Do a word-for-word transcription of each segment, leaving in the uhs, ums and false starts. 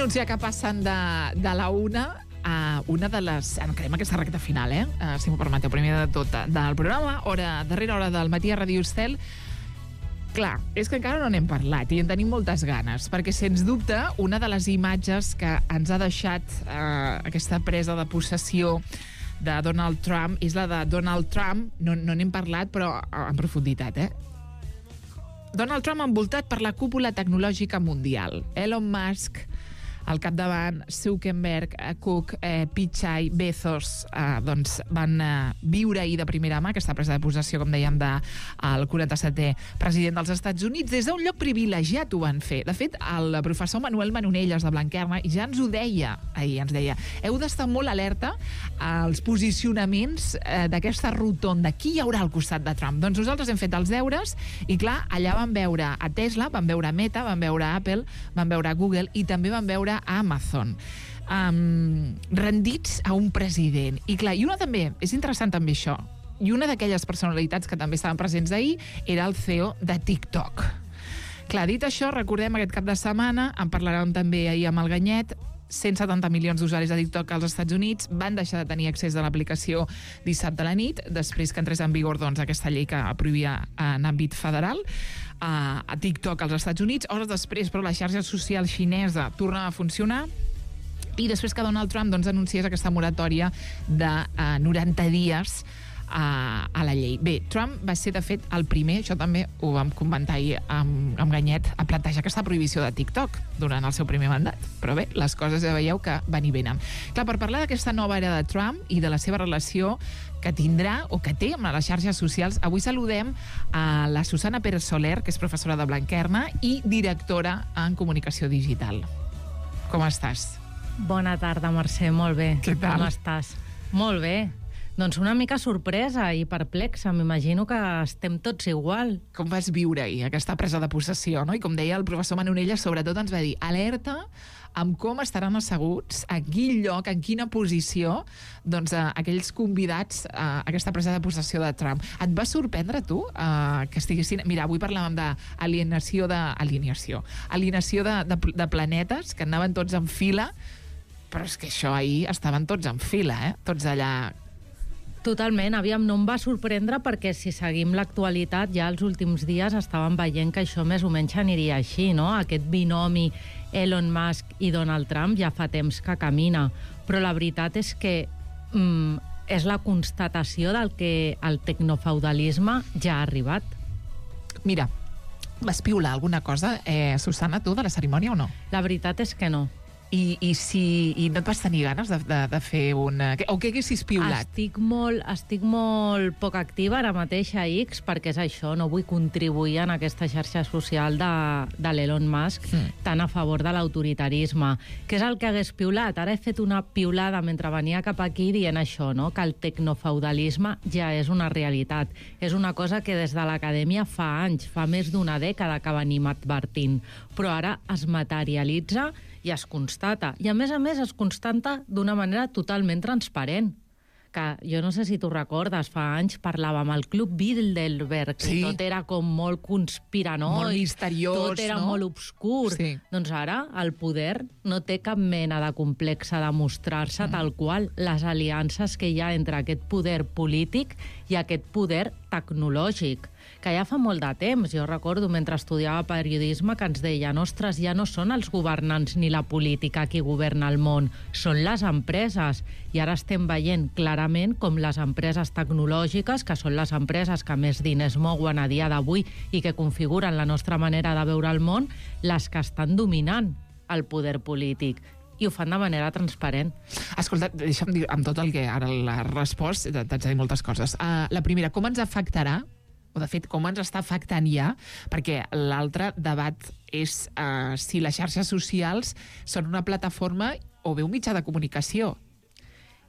anunciar que passen de, de la una a una de les... Encarem aquesta recta final, eh? Uh, si m'ho permeteu, primer de tot del programa, hora, darrera hora del matí a Ràdio Estel. Clar, és que encara no n'hem parlat i en tenim moltes ganes, perquè, sens dubte, una de les imatges que ens ha deixat uh, aquesta presa de possessió de Donald Trump és la de Donald Trump, no, no n'hem parlat, però en profunditat, eh? Donald Trump envoltat per la cúpula tecnològica mundial. Elon Musk al capdavant, Zuckerberg, Cook, eh, Pichai, Bezos, eh, doncs van eh, viure ahir de primera mà aquesta presa de possessió, com dèiem, del de, quaranta-setè president dels Estats Units. Des d'un lloc privilegiat ho van fer. De fet, el professor Manuel Manonelles de Blanquerna ja ens ho deia ahir, ens deia, heu d'estar molt alerta als posicionaments eh, d'aquesta rotonda. Qui hi haurà al costat de Trump? Doncs nosaltres hem fet els deures i, clar, allà vam veure a Tesla, vam veure a Meta, vam veure a Apple, vam veure a Google i també vam veure a Amazon, um, rendits a un president. I clar, i una també, és interessant també això, i una d'aquelles personalitats que també estaven presents ahir era el C E O de TikTok. Clar, dit això, recordem aquest cap de setmana, en parlarem també ahir amb el Ganyet, cent setanta milions d'usuaris de TikTok als Estats Units van deixar de tenir accés a l'aplicació dissabte a la nit, després que entrés en vigor doncs, aquesta llei que prohibia en àmbit federal a, a TikTok als Estats Units. Hores després, però, la xarxa social xinesa torna a funcionar i després que Donald Trump doncs, anunciés aquesta moratòria de uh, noranta dies a, a la llei. Bé, Trump va ser, de fet, el primer, això també ho vam comentar ahir amb, amb Ganyet, a plantejar aquesta prohibició de TikTok durant el seu primer mandat. Però bé, les coses ja veieu que van i venen. Clar, per parlar d'aquesta nova era de Trump i de la seva relació que tindrà o que té amb les xarxes socials, avui saludem a la Susana Pérez Soler, que és professora de Blanquerna i directora en comunicació digital. Com estàs? Bona tarda, Mercè, molt bé. Què tal? Com estàs? Molt bé. Doncs una mica sorpresa i perplexa, m'imagino que estem tots igual. Com vas viure ahir aquesta presa de possessió, no? I com deia el professor Manonelles, sobretot ens va dir alerta amb com estaran asseguts, a quin lloc, en quina posició, doncs eh, aquells convidats a aquesta presa de possessió de Trump. Et va sorprendre, tu, eh, que estiguessin... Mira, avui parlàvem d'alienació de... Alienació. Alienació de, de, de planetes, que anaven tots en fila, però és que això ahir estaven tots en fila, eh? Tots allà... Totalment, aviam, no em va sorprendre perquè si seguim l'actualitat ja els últims dies estàvem veient que això més o menys aniria així, no? Aquest binomi Elon Musk i Donald Trump ja fa temps que camina, però la veritat és que mm, és la constatació del que el tecnofeudalisme ja ha arribat. Mira, vas piular alguna cosa, eh, Susana, tu, de la cerimònia o no? La veritat és que no. I, i, si, i no et vas tenir ganes de, de, de fer un... O què haguessis piulat? Estic molt, estic molt poc activa ara mateix a X perquè és això, no vull contribuir en aquesta xarxa social de, de l'Elon Musk mm. tan a favor de l'autoritarisme. Què és el que hagués piulat? Ara he fet una piulada mentre venia cap aquí dient això, no? Que el tecnofeudalisme ja és una realitat. És una cosa que des de l'acadèmia fa anys, fa més d'una dècada que venim advertint, però ara es materialitza i es constata. I, a més a més, es constata d'una manera totalment transparent. Que jo no sé si tu recordes, fa anys parlàvem al Club Bilderberg, sí. I tot era com molt conspiranoi, molt misteriós, tot era no? molt obscur. Sí. Doncs ara el poder no té cap mena de complexa de mostrar-se mm. tal qual. Les aliances que hi ha entre aquest poder polític i aquest poder tecnològic, que ja fa molt de temps, jo recordo mentre estudiava periodisme que ens deien, ostres, ja no són els governants ni la política qui governa el món, són les empreses. I ara estem veient clarament com les empreses tecnològiques, que són les empreses que més diners mouen a dia d'avui i que configuren la nostra manera de veure el món, les que estan dominant el poder polític. I ho fan de manera transparent. Escolta, deixa'm dir, amb tot el que ara l'has respost, t'haig de dir moltes coses. Uh, la primera, com ens afectarà, o de fet, com ens està afectant ja, perquè l'altre debat és uh, si les xarxes socials són una plataforma o bé un mitjà de comunicació.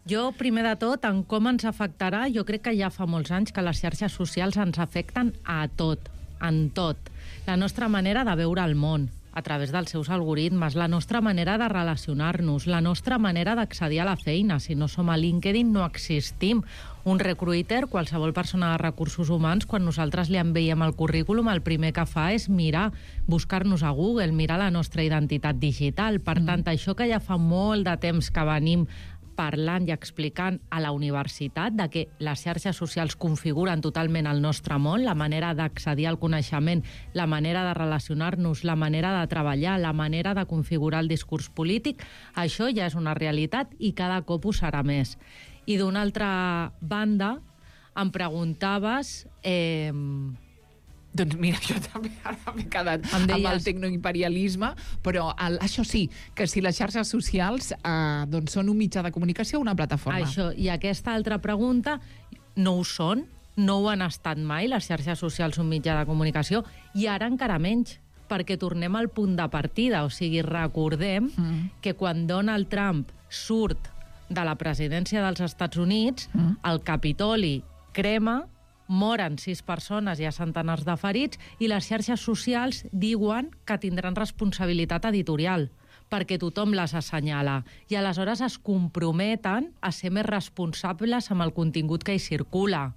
Jo, primer de tot, en com ens afectarà, jo crec que ja fa molts anys que les xarxes socials ens afecten a tot, en tot. La nostra manera de veure el món, a través dels seus algoritmes, la nostra manera de relacionar-nos, la nostra manera d'accedir a la feina. Si no som a LinkedIn, no existim. Un recruiter, qualsevol persona de recursos humans, quan nosaltres li enviem el currículum, el primer que fa és mirar, buscar-nos a Google, mirar la nostra identitat digital. Per tant, mm. això que ja fa molt de temps que venim parlant i explicant a la universitat de que les xarxes socials configuren totalment el nostre món, la manera d'accedir al coneixement, la manera de relacionar-nos, la manera de treballar, la manera de configurar el discurs polític, això ja és una realitat i cada cop ho serà més. I d'una altra banda, em preguntaves... Eh, Doncs mira, jo també ara m'he quedat Em deies... amb el tecnoimperialisme, però el, això sí, que si les xarxes socials eh, doncs són un mitjà de comunicació o una plataforma. Això, i aquesta altra pregunta, no ho són, no ho han estat mai, les xarxes socials un mitjà de comunicació, i ara encara menys, perquè tornem al punt de partida, o sigui, recordem mm. que quan Donald Trump surt de la presidència dels Estats Units, mm. el Capitoli crema, moren sis persones, hi ha centenars de ferits, i les xarxes socials diuen que tindran responsabilitat editorial, perquè tothom les assenyala. I aleshores es comprometen a ser més responsables amb el contingut que hi circula.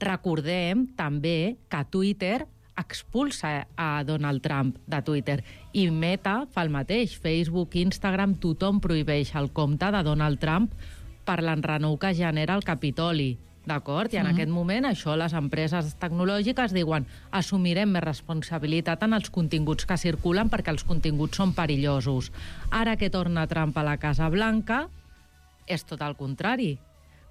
Recordem també que Twitter expulsa a Donald Trump de Twitter i Meta fa el mateix. Facebook, Instagram, tothom prohibeix el compte de Donald Trump per l'enrenou que genera el Capitoli. D'acord? I en mm. aquest moment això les empreses tecnològiques diuen assumirem més responsabilitat en els continguts que circulen perquè els continguts són perillosos. Ara que torna Trump a la Casa Blanca, és tot el contrari.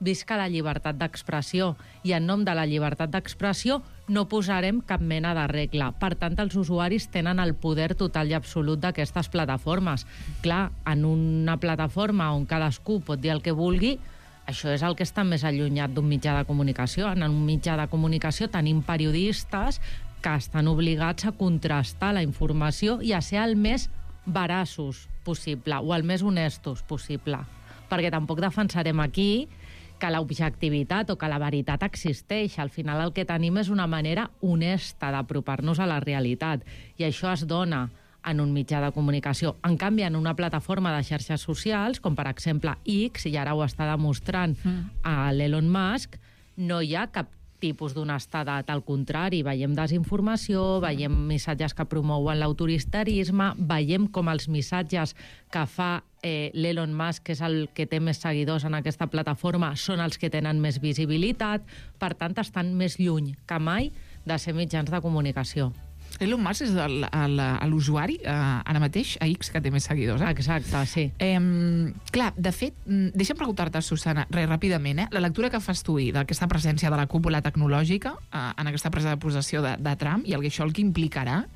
Visca la llibertat d'expressió i en nom de la llibertat d'expressió no posarem cap mena de regla. Per tant, els usuaris tenen el poder total i absolut d'aquestes plataformes. Clar, en una plataforma on cadascú pot dir el que vulgui, això és el que està més allunyat d'un mitjà de comunicació. En un mitjà de comunicació tenim periodistes que estan obligats a contrastar la informació i a ser el més veraços possible o el més honestos possible. Perquè tampoc defensarem aquí que l'objectivitat o que la veritat existeix. Al final el que tenim és una manera honesta d'apropar-nos a la realitat. I això es dona en un mitjà de comunicació. En canvi, en una plataforma de xarxes socials, com per exemple X, i ara ho està demostrant mm. a l'Elon Musk, no hi ha cap tipus d'honestedat. Al contrari, veiem desinformació, veiem missatges que promouen l'autoritarisme, veiem com els missatges que fa eh, l'Elon Musk, que és el que té més seguidors en aquesta plataforma, són els que tenen més visibilitat. Per tant, estan més lluny que mai de ser mitjans de comunicació. Elon Musk és l'usuari eh, ara mateix a X que té més seguidors. Eh? Exacte, sí. Eh, clar, de fet, deixa'm preguntar-te, Susana, res, ràpidament, eh? la lectura que fas tu d'aquesta presència de la cúpula tecnològica eh, en aquesta presa de possessió de, de Trump i el, això el que implicarà,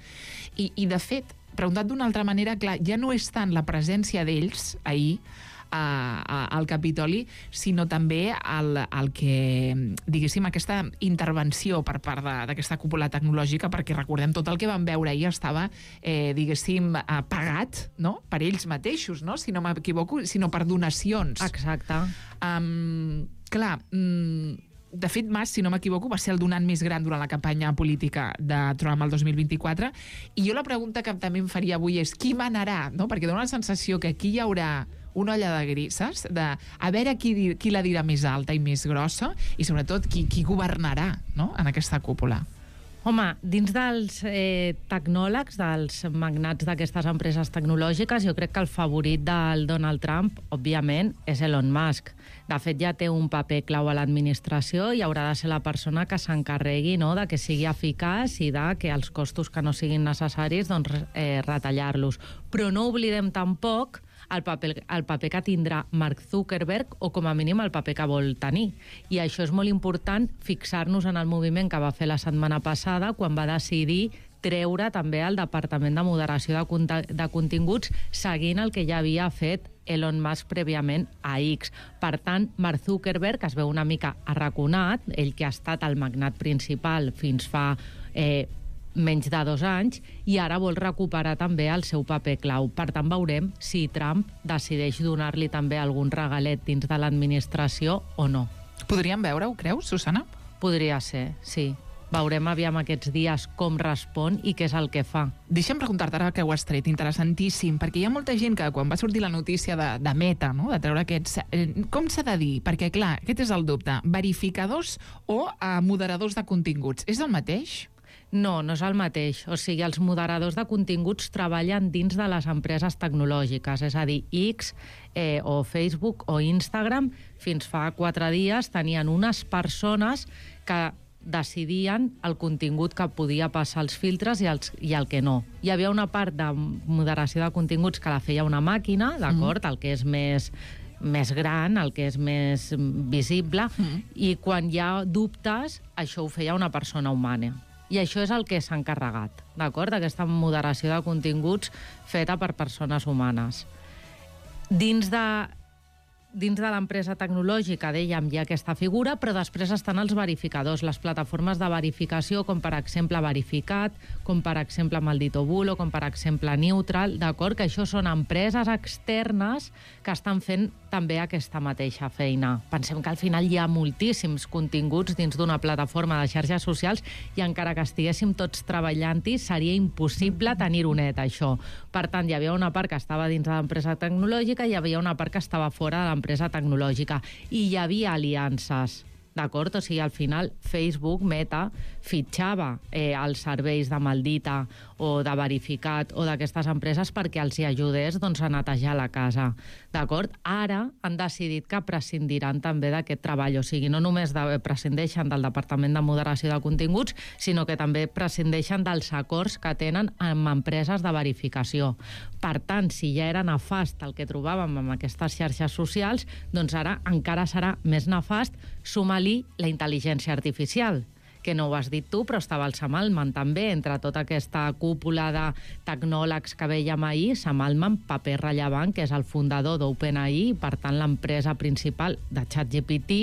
i, i de fet, preguntat d'una altra manera, clar, ja no és tant la presència d'ells ahir A, a, al Capitoli, sinó també el, el que, diguéssim, aquesta intervenció per part d'aquesta cúpula tecnològica, perquè recordem, tot el que vam veure ahir estava, eh, diguéssim, eh, pagat, no?, per ells mateixos, no?, si no m'equivoco, sinó per donacions. Exacte. Um, clar, um, de fet, Mas, si no m'equivoco, va ser el donant més gran durant la campanya política de Trump el dos mil vint-i-quatre, i jo la pregunta que també em faria avui és qui manarà, no?, perquè dona la sensació que aquí hi haurà una olla de grises, de a veure qui, qui la dirà més alta i més grossa, i sobretot qui, qui governarà, no?, en aquesta cúpula. Home, dins dels eh, tecnòlegs, dels magnats d'aquestes empreses tecnològiques, jo crec que el favorit del Donald Trump, òbviament, és Elon Musk. De fet, ja té un paper clau a l'administració i haurà de ser la persona que s'encarregui, no?, de que sigui eficaç i de que els costos que no siguin necessaris, doncs, eh, retallar-los. Però no oblidem tampoc el paper, el paper que tindrà Mark Zuckerberg, o com a mínim el paper que vol tenir. I això és molt important, fixar-nos en el moviment que va fer la setmana passada quan va decidir treure també el Departament de Moderació de, de Continguts, seguint el que ja havia fet Elon Musk prèviament a X. Per tant, Mark Zuckerberg es veu una mica arraconat, ell que ha estat el magnat principal fins fa eh, menys de dos anys, i ara vol recuperar també el seu paper clau. Per tant, veurem si Trump decideix donar-li també algun regalet dins de l'administració o no. Podríem veure-ho, creus, Susana? Podria ser, sí. Veurem aviam aquests dies com respon i què és el que fa. Deixa'm preguntar-te ara que ho has tret, interessantíssim, perquè hi ha molta gent que quan va sortir la notícia de, de Meta, no?, de treure aquests... Eh, com s'ha de dir? Perquè, clar, aquest és el dubte. Verificadors o eh, moderadors de continguts. És el mateix? No, no és el mateix. O sigui, els moderadors de continguts treballen dins de les empreses tecnològiques, és a dir, X eh, o Facebook o Instagram, fins fa quatre dies tenien unes persones que decidien el contingut que podia passar als filtres i, els, i el que no. Hi havia una part de moderació de continguts que la feia una màquina, d'acord? Mm. El que és més... més gran, el que és més visible, mm. i quan hi ha dubtes, això ho feia una persona humana. I això és el que s'ha encarregat, d'acord? Aquesta moderació de continguts feta per persones humanes. Dins de, dins de l'empresa tecnològica, dèiem, hi ha aquesta figura, però després estan els verificadors, les plataformes de verificació, com per exemple Verificat, com per exemple Maldito Bulo, com per exemple Neutral, d'acord? Que això són empreses externes que estan fent també aquesta mateixa feina. Pensem que al final hi ha moltíssims continguts dins d'una plataforma de xarxes socials i encara que estiguéssim tots treballant-hi, seria impossible tenir-ho net, això. Per tant, hi havia una part que estava dins de l'empresa tecnològica i hi havia una part que estava fora de l'empresa tecnològica. I hi havia aliances, d'acord? O sigui, al final, Facebook, Meta, fitxava eh, els serveis de Maldita o de Verificat o d'aquestes empreses perquè els hi ajudés doncs, a netejar la casa, d'acord? Ara han decidit que prescindiran també d'aquest treball, o sigui, no només de, prescindeixen del Departament de Moderació de Continguts, sinó que també prescindeixen dels acords que tenen amb empreses de verificació. Per tant, si ja era nefast el que trobàvem amb aquestes xarxes socials, doncs ara encara serà més nefast sumar-li la intel·ligència artificial, que no ho has dit tu, però estava el Sam Altman també, entre tota aquesta cúpula de tecnòlegs que veiem ahir. Sam Altman, paper rellevant, que és el fundador d'OpenAI, per tant l'empresa principal de ChatGPT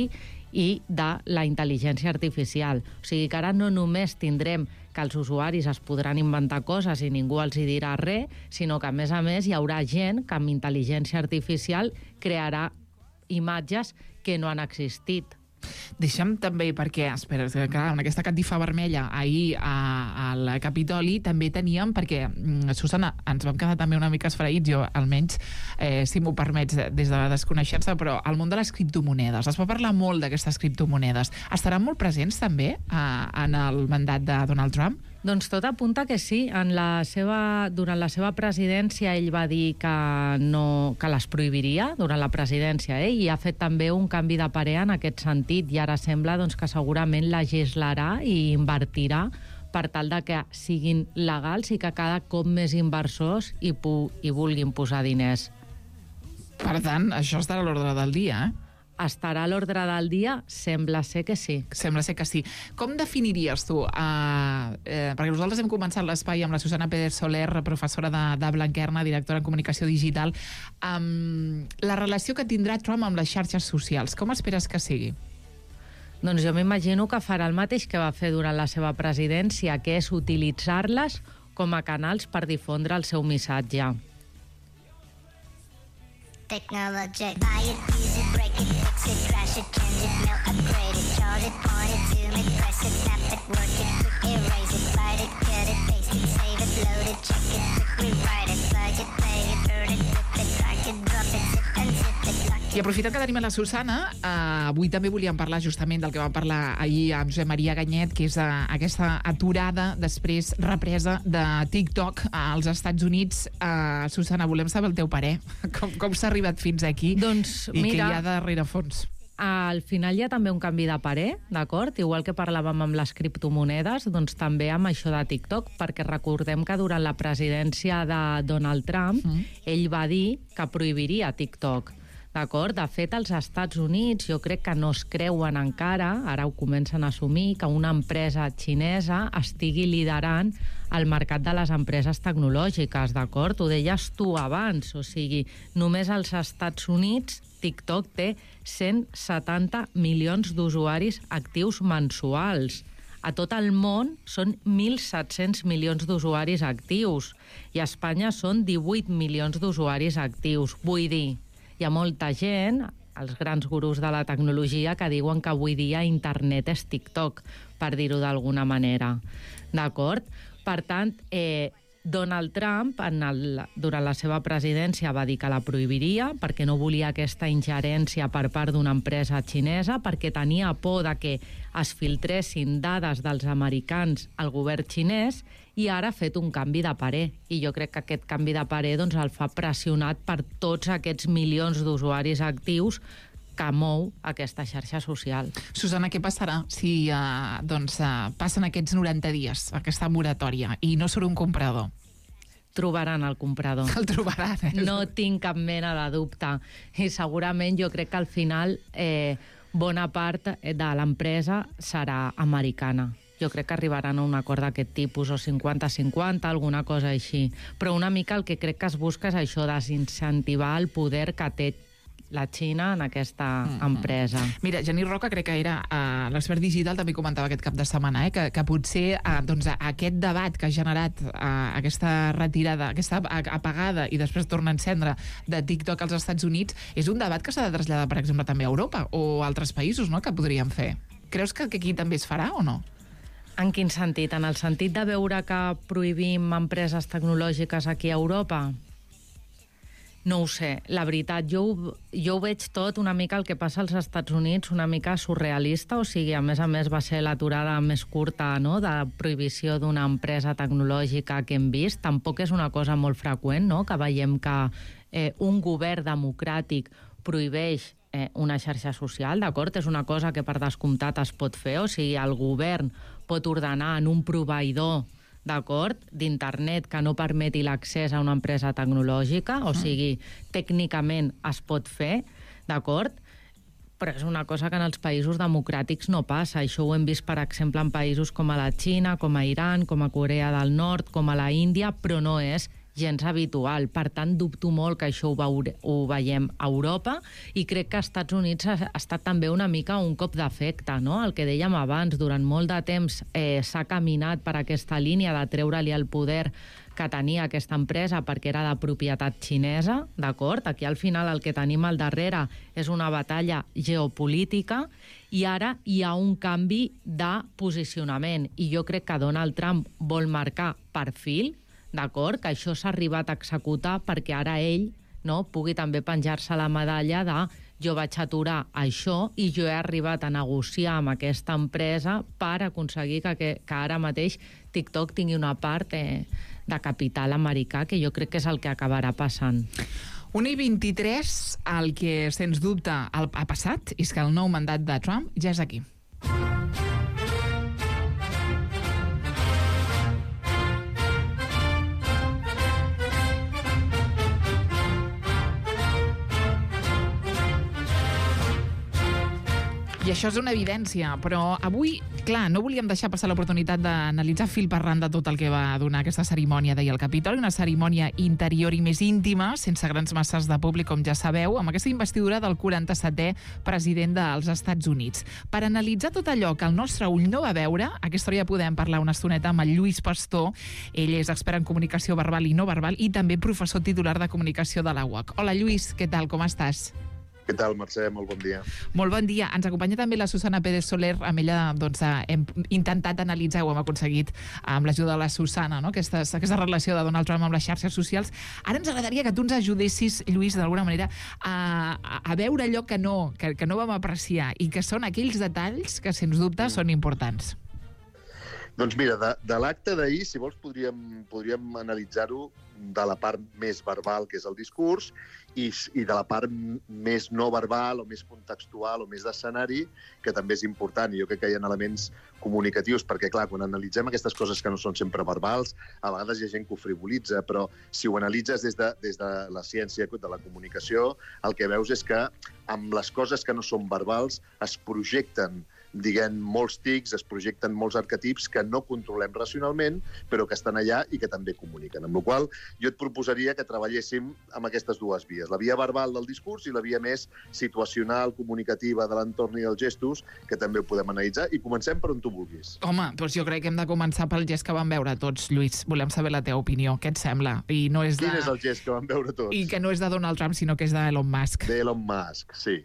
i de la intel·ligència artificial. O sigui que ara no només tindrem que els usuaris es podran inventar coses i ningú els hi dirà res, sinó que a més a més hi haurà gent que amb intel·ligència artificial crearà imatges que no han existit. Deixa'm també, perquè, espera, clar, en aquesta catifa vermella ahir a, al Capitoli també teníem, perquè, Susana, ens vam quedar també una mica esfereïts, jo almenys, eh, si m'ho permets, des de la desconeixença, però el món de les criptomonedes. Es va parlar molt d'aquestes criptomonedes. Estaran molt presents també a, en el mandat de Donald Trump? Doncs tot apunta que sí. En la seva, durant la seva presidència ell va dir que, no, que les prohibiria durant la presidència, eh? I ha fet també un canvi de parer en aquest sentit, i ara sembla doncs, que segurament legislarà i invertirà per tal de que siguin legals i que cada cop més inversors hi, pu hi vulguin posar diners. Per tant, això estarà a l'ordre del dia, eh? Estarà a l'ordre del dia? Sembla ser que sí. Sembla ser que sí. Com definiries tu? Uh, eh, perquè nosaltres hem començat l'espai amb la Susana Pérez Soler, professora de, de Blanquerna, directora en comunicació digital. Um, la relació que tindrà Trump amb les xarxes socials, com esperes que sigui? Doncs jo m'imagino que farà el mateix que va fer durant la seva presidència, que és utilitzar-les com a canals per difondre el seu missatge. Technology, buy it, use it, break it, fix it, crash it, change it, melt, upgrade it, charge it, point it, zoom it, press it, snap it, work it, quick erase it, write it, cut it, paste it, save it, load it, check it, quick rewrite it, plug it, play it, burn it, rip it, drag it, drop it, zip and zip it, lock it. I aprofitant que tenim a la Susana, eh, avui també volíem parlar justament del que vam parlar ahir amb Josep Maria Ganyet, que és eh, aquesta aturada, després represa de TikTok als Estats Units. Eh, Susana, volem saber el teu parer. Com, com s'ha arribat fins aquí doncs, i mira, què hi ha darrere fons? Al final hi ha també un canvi de parer, d'acord? Igual que parlàvem amb les criptomonedes, doncs també amb això de TikTok, perquè recordem que durant la presidència de Donald Trump mm. ell va dir que prohibiria TikTok. D'acord? De fet, als Estats Units jo crec que no es creuen encara, ara ho comencen a assumir, que una empresa xinesa estigui liderant el mercat de les empreses tecnològiques, d'acord? Ho deies tu abans, o sigui, només als Estats Units TikTok té cent setanta milions d'usuaris actius mensuals. A tot el món són mil set-cents milions d'usuaris actius i a Espanya són divuit milions d'usuaris actius. Vull dir, hi ha molta gent els grans gurús de la tecnologia que diuen que avui dia internet és TikTok, per dir-ho d'alguna manera. D'acord? Per tant, eh, Donald Trump, en el, durant la seva presidència, va dir que la prohibiria perquè no volia aquesta ingerència per part d'una empresa xinesa, perquè tenia por de que es filtressin dades dels americans al govern xinès, i ara ha fet un canvi de parer. I jo crec que aquest canvi de parer doncs, el fa pressionat per tots aquests milions d'usuaris actius que mou aquesta xarxa social. Susana, què passarà si eh, doncs, eh, passen aquests noranta dies, aquesta moratòria, i no surt un comprador? Trobaran el comprador. El trobaran, eh? No tinc cap mena de dubte. I segurament jo crec que al final eh, bona part de l'empresa serà americana. Jo crec que arribaran a un acord d'aquest tipus, o cinquanta cinquanta, alguna cosa així. Però una mica el que crec que es busca és això, desincentivar el poder que té la Xina en aquesta mm-hmm. empresa. Mira, Genís Roca, crec que era uh, l'expert digital, també comentava aquest cap de setmana, eh, que, que potser uh, doncs, aquest debat que ha generat uh, aquesta retirada, aquesta apagada i després torna a encendre de TikTok als Estats Units, és un debat que s'ha de traslladar, per exemple, també a Europa o a altres països, no?, que podríem fer. Creus que, que aquí també es farà o no? En quin sentit? En el sentit de veure que prohibim empreses tecnològiques aquí a Europa? No ho sé, la veritat, jo, jo ho veig tot una mica el que passa als Estats Units, una mica surrealista, o sigui, a més a més va ser l'aturada més curta, no?, de prohibició d'una empresa tecnològica que hem vist. Tampoc és una cosa molt freqüent, no?, que veiem que eh, un govern democràtic prohibeix eh, una xarxa social, d'acord? És una cosa que per descomptat es pot fer, o sigui, el govern pot ordenar en un proveïdor, d'acord, d'internet que no permeti l'accés a una empresa tecnològica, o sigui, tècnicament es pot fer, d'acord? Però és una cosa que en els països democràtics no passa. Això ho hem vist, per exemple, en països com a la Xina, com a Iran, com a Corea del Nord, com a la Índia, però no és gens habitual. Per tant, dubto molt que això ho, veure, ho veiem a Europa, i crec que als Estats Units ha, ha estat també una mica un cop d'efecte, no? El que dèiem abans, durant molt de temps eh, s'ha caminat per aquesta línia de treure-li el poder que tenia aquesta empresa perquè era de propietat xinesa, d'acord? Aquí al final el que tenim al darrere és una batalla geopolítica, i ara hi ha un canvi de posicionament, i jo crec que Donald Trump vol marcar perfil, d'acord? Que això s'ha arribat a executar perquè ara ell, no, pugui també penjar-se la medalla de jo vaig aturar això i jo he arribat a negociar amb aquesta empresa per aconseguir que, que, que ara mateix TikTok tingui una part eh, de capital americà, que jo crec que és el que acabarà passant. una i vint-i-tres, el que sens dubte ha passat és que el nou mandat de Trump ja és aquí. I això és una evidència, però avui, clar, no volíem deixar passar l'oportunitat d'analitzar fil per randa tot el que va donar aquesta cerimònia d'ahir al Capitoli, una cerimònia interior i més íntima, sense grans masses de públic, com ja sabeu, amb aquesta investidura del quaranta-setè president dels Estats Units. Per analitzar tot allò que el nostre ull no va veure, aquesta hora ja podem parlar una estoneta amb el Lluís Pastor. Ell és expert en comunicació verbal i no verbal i també professor titular de comunicació de la U A C. Hola, Lluís, què tal, com estàs? Què tal, Mercè? Molt bon dia. Molt bon dia. Ens acompanya també la Susana Pérez Soler. Amb ella doncs, hem intentat analitzar, ho hem aconseguit amb l'ajuda de la Susana, no? aquesta, aquesta relació de Donald Trump amb les xarxes socials. Ara ens agradaria que tu ens ajudessis, Lluís, d'alguna manera, a, a veure allò que no, que, que no vam apreciar i que són aquells detalls que, sens dubte, són importants. Doncs mira, de, de l'acte d'ahir, si vols, podríem, podríem analitzar-ho de la part més verbal, que és el discurs, i, i de la part més no verbal, o més contextual, o més d'escenari, que també és important. I jo crec que hi ha elements comunicatius, perquè, clar, quan analitzem aquestes coses que no són sempre verbals, a vegades hi ha gent que ho frivolitza, però si ho analitzes des de, des de la ciència de la comunicació, el que veus és que amb les coses que no són verbals es projecten diguem, molts tics, es projecten molts arquetips que no controlem racionalment, però que estan allà i que també comuniquen. Amb la qual cosa, jo et proposaria que treballéssim amb aquestes dues vies, la via verbal del discurs i la via més situacional, comunicativa de l'entorn i dels gestos, que també ho podem analitzar, i comencem per on tu vulguis. Home, doncs jo crec que hem de començar pel gest que vam veure tots, Lluís. Volem saber la teva opinió. Què et sembla? I no és de... Quin és el gest que vam veure tots? I que no és de Donald Trump, sinó que és d'Elon Musk. D'Elon Musk, sí.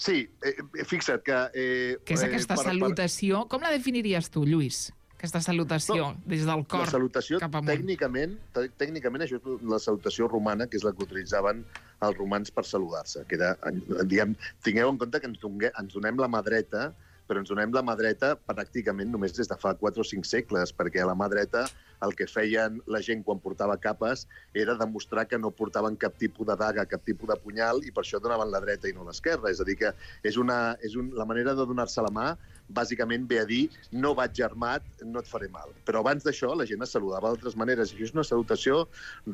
Sí, eh, fixa't que... Eh, Que és aquesta per, salutació... Com la definiries tu, Lluís? Aquesta salutació No, des del cor la salutació, cap amunt. tècnicament, tècnicament, això és la salutació romana, que és la que utilitzaven els romans per saludar-se. Que era, diguem, tingueu en compte que ens, dongue, ens donem la mà dreta, però ens donem la mà dreta pràcticament només des de fa quatre o cinc segles, perquè a la mà dreta el que feien la gent quan portava capes era demostrar que no portaven cap tipus de daga, cap tipus de punyal, i per això donaven la dreta i no l'esquerra. És a dir, que és una, és un, la manera de donar-se la mà bàsicament ve a dir no vaig armat, no et faré mal. Però abans d'això la gent es saludava d'altres maneres, i això és una salutació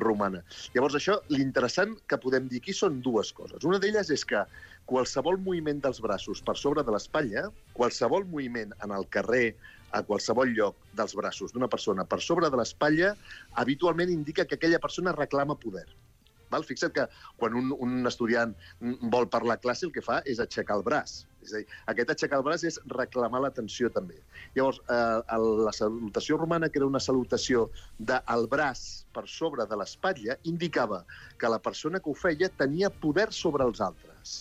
romana. Llavors això, l'interessant que podem dir aquí són dues coses. Una d'elles és que qualsevol moviment dels braços per sobre de l'espatlla, qualsevol moviment en el carrer, a qualsevol lloc dels braços d'una persona per sobre de l'espatlla, habitualment indica que aquella persona reclama poder. Val? Fixa't que quan un, un estudiant vol parlar a classe el que fa és aixecar el braç. És a dir, aquest aixecar el braç és reclamar l'atenció també. Llavors, eh, la salutació romana, que era una salutació del braç per sobre de l'espatlla, indicava que la persona que ho feia tenia poder sobre els altres.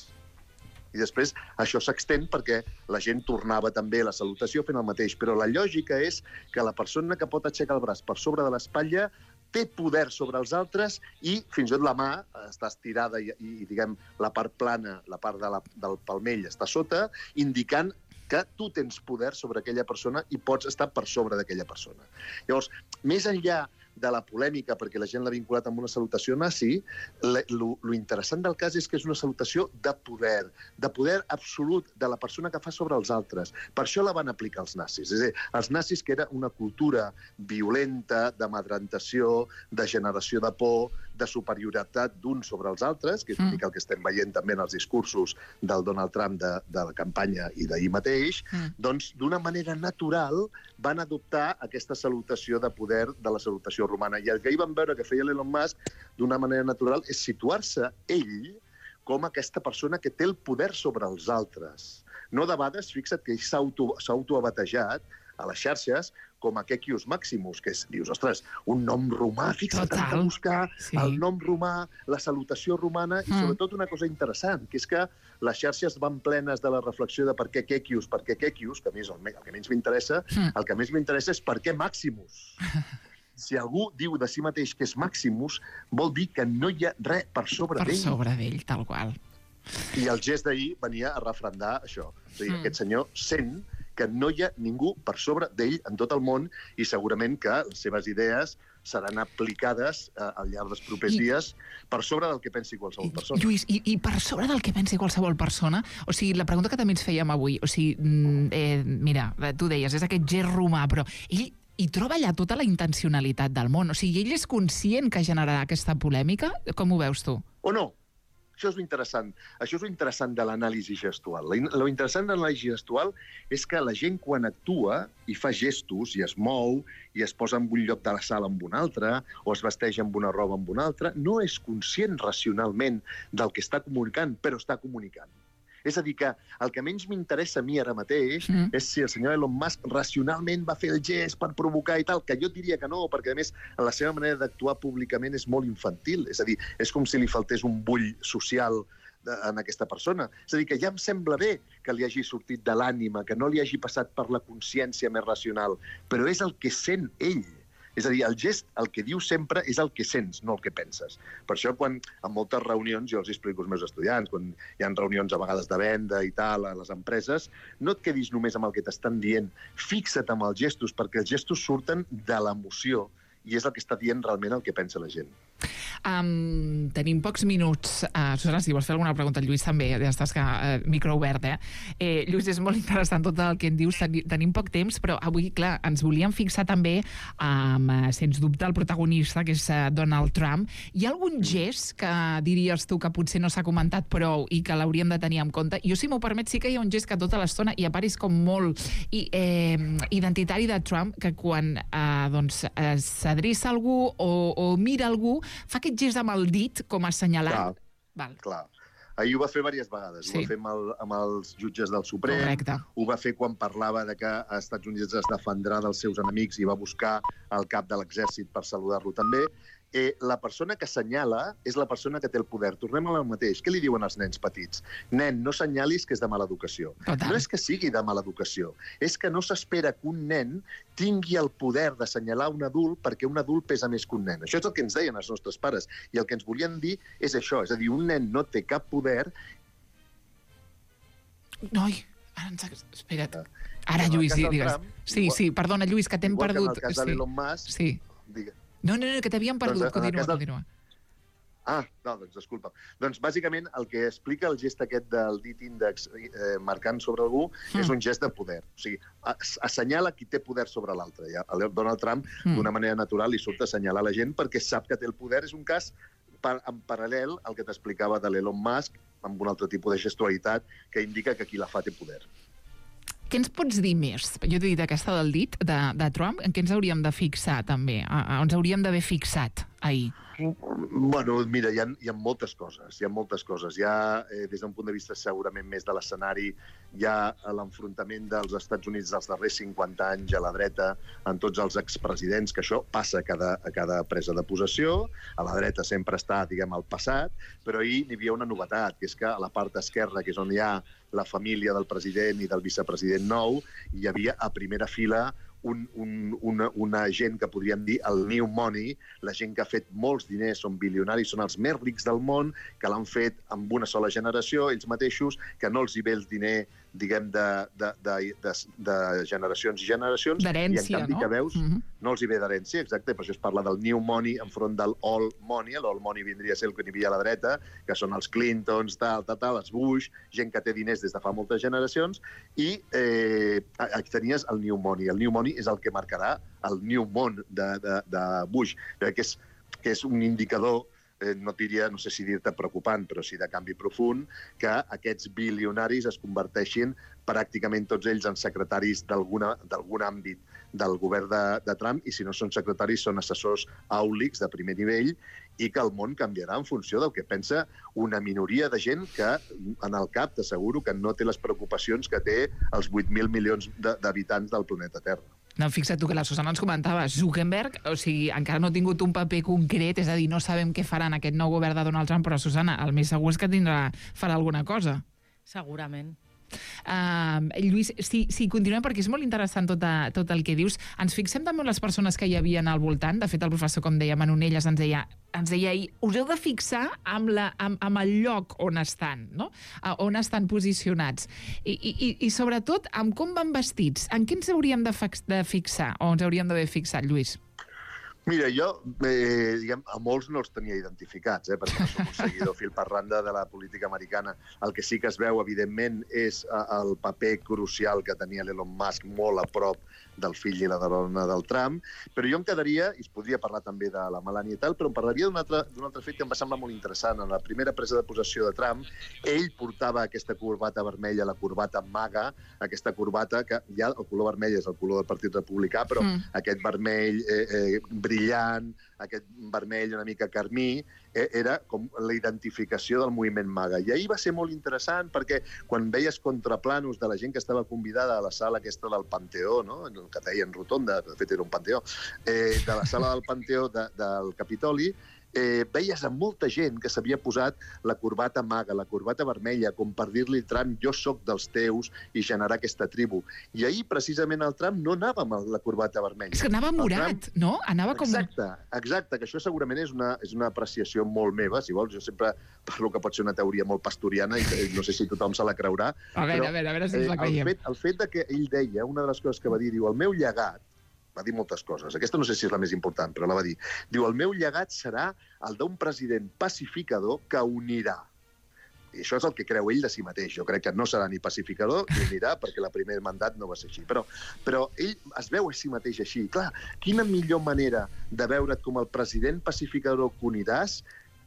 I després això s'extén perquè la gent tornava també la salutació fent el mateix. Però la lògica és que la persona que pot aixecar el braç per sobre de l'espatlla té poder sobre els altres i fins i tot la mà està estirada i, i diguem, la part plana, la part de la, del palmell està sota, indicant que tu tens poder sobre aquella persona i pots estar per sobre d'aquella persona. Llavors, més enllà de la polèmica, perquè la gent l'ha vinculat amb una salutació nazi, lo interessant del cas és que és una salutació de poder, de poder absolut de la persona que fa sobre els altres. Per això la van aplicar els nazis. És a dir, els nazis, que era una cultura violenta, d'amedrentació, de generació de por, de superioritat d'uns sobre els altres, que és mm. el que estem veient també en els discursos del Donald Trump de, de la campanya i d'ahir mateix, mm. doncs d'una manera natural van adoptar aquesta salutació de poder de la salutació romana. I el que hi van veure que feia l'Elon Musk d'una manera natural és situar-se ell com aquesta persona que té el poder sobre els altres. No de vegades, fixa't que ell s'ha autoabatejat a les xarxes com a Quequius Maximus, que és, dius, ostres, un nom romà, fixa't, hem de buscar sí. el nom romà, la salutació romana, i sobretot una cosa interessant, que és que les xarxes van plenes de la reflexió de per què Quequius, per què Quequius, que a mi és el, el que menys m'interessa, el que més m'interessa és per què Maximus. Si algú diu de si mateix que és Maximus, vol dir que no hi ha res per sobre d'ell. Per sobre d'ell, tal qual. I el gest d'ahir venia a refrendar això. És a dir, mm. aquest senyor sent que no hi ha ningú per sobre d'ell en tot el món i segurament que les seves idees seran aplicades eh, al llarg dels propers I, dies per sobre del que pensi qualsevol persona. Lluís, i, i per sobre del que pensi qualsevol persona? O sigui, la pregunta que també ens fèiem avui, o sigui, eh, mira, tu deies, és aquest gest romà, però ell hi troba allà tota la intencionalitat del món. O sigui, ell és conscient que generarà aquesta polèmica? Com ho veus tu? O no? Això és l'interessant. Això és l'interessant de l'anàlisi gestual. L'interessant de l'anàlisi gestual és que la gent, quan actua i fa gestos i es mou i es posa en un lloc de la sala amb un altre o es vesteix amb una roba amb una altra, no és conscient racionalment del que està comunicant, però està comunicant. És a dir, que el que menys m'interessa a mi ara mateix mm. és si el senyor Elon Musk racionalment va fer el gest per provocar i tal, que jo diria que no, perquè a més la seva manera d'actuar públicament és molt infantil. És a dir, és com si li faltés un bull social en aquesta persona. És a dir, que ja em sembla bé que li hagi sortit de l'ànima, que no li hagi passat per la consciència més racional, però és el que sent ell. És a dir, el gest, el que diu sempre, és el que sents, no el que penses. Per això, quan en moltes reunions, jo els explico als meus estudiants, quan hi ha reunions a vegades de venda i tal, a les empreses, no et quedis només amb el que t'estan dient. Fixa't amb els gestos, perquè els gestos surten de l'emoció i és el que està dient realment el que pensa la gent. Um, tenim pocs minuts. Uh, Susana, si vols fer alguna pregunta, Lluís també, ja estàs que uh, micro obert, eh? eh? Lluís, és molt interessant tot el que en dius, Ten tenim poc temps, però avui, clar, ens volíem fixar també amb, uh, sens dubte, el protagonista, que és uh, Donald Trump. Hi ha algun gest que diries tu que potser no s'ha comentat prou i que l'hauríem de tenir en compte? Jo, si m'ho permet, sí que hi ha un gest que tota l'estona, i a part és com molt i, eh, identitari de Trump, que quan uh, doncs, uh, s'adreça a algú o, o mira algú, fa aquest gest amb el dit, com assenyalant. Clar, Val. clar. Ahir ho va fer diverses vegades. Sí. Ho va fer amb, el, amb els jutges del Suprem. Correcte. Ho va fer quan parlava de que als Estats Units es defendrà dels seus enemics i va buscar el cap de l'exèrcit per saludar-lo també. eh, la persona que assenyala és la persona que té el poder. Tornem al mateix. Què li diuen als nens petits? Nen, no senyalis que és de mala educació. Total. No és que sigui de mala educació, és que no s'espera que un nen tingui el poder d'assenyalar un adult perquè un adult pesa més que un nen. Això és el que ens deien els nostres pares. I el que ens volien dir és això, és a dir, un nen no té cap poder. Noi, ara ens... Espera't. Ara, Lluís, sí, digues. Trump, Sí, igual, sí, perdona, Lluís, que t'hem igual perdut. que en el cas de l'Elon Musk, Sí. digue. No, no, no, que t'havíem perdut. Doncs, en el Continua, cas del- continua. Ah, no, doncs disculpa. Doncs bàsicament el que explica el gest aquest del dit índex eh, marcant sobre algú Mm. és un gest de poder. O sigui, as- assenyala qui té poder sobre l'altre. Ja, el Donald Trump, Mm. d'una manera natural, li surt a assenyalar la gent perquè sap que té el poder. És un cas par en paral·lel al que t'explicava de l'Elon Musk, amb un altre tipus de gestualitat que indica que qui la fa té poder. Què ens pots dir més? Jo t'he dit aquesta del dit de, de Trump. En què ens hauríem de fixar, també? A, a, ens hauríem d'haver fixat ahir? Bueno, mira, hi ha, hi ha moltes coses, hi ha moltes coses. Hi ha, eh, des d'un punt de vista segurament més de l'escenari, hi ha l'enfrontament dels Estats Units dels darrers cinquanta anys a la dreta en tots els expresidents, que això passa a cada, a cada presa de possessió. A la dreta sempre està, diguem, al passat, però ahir n'hi havia una novetat, que és que a la part esquerra, que és on hi ha la família del president i del vicepresident nou, hi havia a primera fila un, un, una, una gent que podríem dir el new money, la gent que ha fet molts diners, són bilionaris, són els més rics del món, que l'han fet amb una sola generació, ells mateixos, que no els hi ve el diner, diguem, de, de, de, de, de generacions i generacions. D'herència, I en canvi no? que veus, Mhm. no els hi ve d'herència, exacte, per això es parla del new money enfront del all money. L'all money vindria a ser el que n'hi havia a la dreta, que són els Clintons, tal, tal, tal, els Bush, gent que té diners des de fa moltes generacions, i eh, aquí tenies el new money. El new money és el que marcarà el new món de, de, de Bush, que és, que és un indicador, eh, no diria, no sé si dir-te preocupant, però sí de canvi profund, que aquests bilionaris es converteixin pràcticament tots ells en secretaris d'algun àmbit del govern de, de Trump, i si no són secretaris són assessors àulics de primer nivell, i que el món canviarà en funció del que pensa una minoria de gent que en el cap t'asseguro que no té les preocupacions que té els vuit mil milions d'habitants del planeta Terra. No, fixa't tu que la Susana ens comentava, Zuckerberg, o sigui, encara no ha tingut un paper concret, és a dir, no sabem què farà en aquest nou govern de Donald Trump, però Susana, el més segur és que tindrà, farà alguna cosa. Segurament. Uh, Lluís, si, si continuem, perquè és molt interessant tot, a, tot el que dius, ens fixem també en les persones que hi havia al voltant. De fet, el professor, com deia, Manonelles, ens deia, ens deia ahir, us heu de fixar amb, la, amb, amb el lloc on estan, no? Uh, on estan posicionats. I, i, I sobretot, amb com van vestits. En què ens hauríem de, de fixar, o ens hauríem d'haver fixat, Lluís? Mira, jo, eh, diguem, a molts no els tenia identificats, eh, perquè no soc un seguidor fil per randa de la política americana. El que sí que es veu, evidentment, és el paper crucial que tenia l'Elon Musk molt a prop del fill i la dona del Trump, però jo em quedaria, i es podria parlar també de la Melania i tal, però em parlaria d'un altre, d'un altre fet que em va semblar molt interessant. En la primera presa de possessió de Trump, ell portava aquesta corbata vermella, la corbata maga, aquesta corbata que ja el color vermell és el color del Partit Republicà, però mm. aquest vermell eh, eh, brillant, aquest vermell una mica carmí, eh, era com la identificació del moviment maga. I ahir va ser molt interessant perquè quan veies contraplanos de la gent que estava convidada a la sala aquesta del Panteó, no? Que deien rotonda, de fet era un panteó, eh, de la sala del Panteó de, del Capitoli, eh, veies a molta gent que s'havia posat la corbata maga, la corbata vermella, com per dir-li Trump, jo sóc dels teus, i generar aquesta tribu. I ahir, precisament, el Trump no anava amb la corbata vermella. És que anava morat, Trump... no? Anava com... Exacte, exacte, que això segurament és una, és una apreciació molt meva, si vols. Jo sempre parlo que pot ser una teoria molt pastoriana i no sé si tothom se la creurà. A veure, però, a veure, a veure si ens la creiem. El fet, el fet de que ell deia, una de les coses que va dir, diu, el meu llegat, va dir moltes coses. Aquesta no sé si és la més important, però la va dir. Diu, el meu llegat serà el d'un president pacificador que unirà. I això és el que creu ell de si mateix. Jo crec que no serà ni pacificador ni unirà, perquè el primer mandat no va ser així. Però, però ell es veu a si mateix així. Clar, quina millor manera de veure't com el president pacificador que uniràs,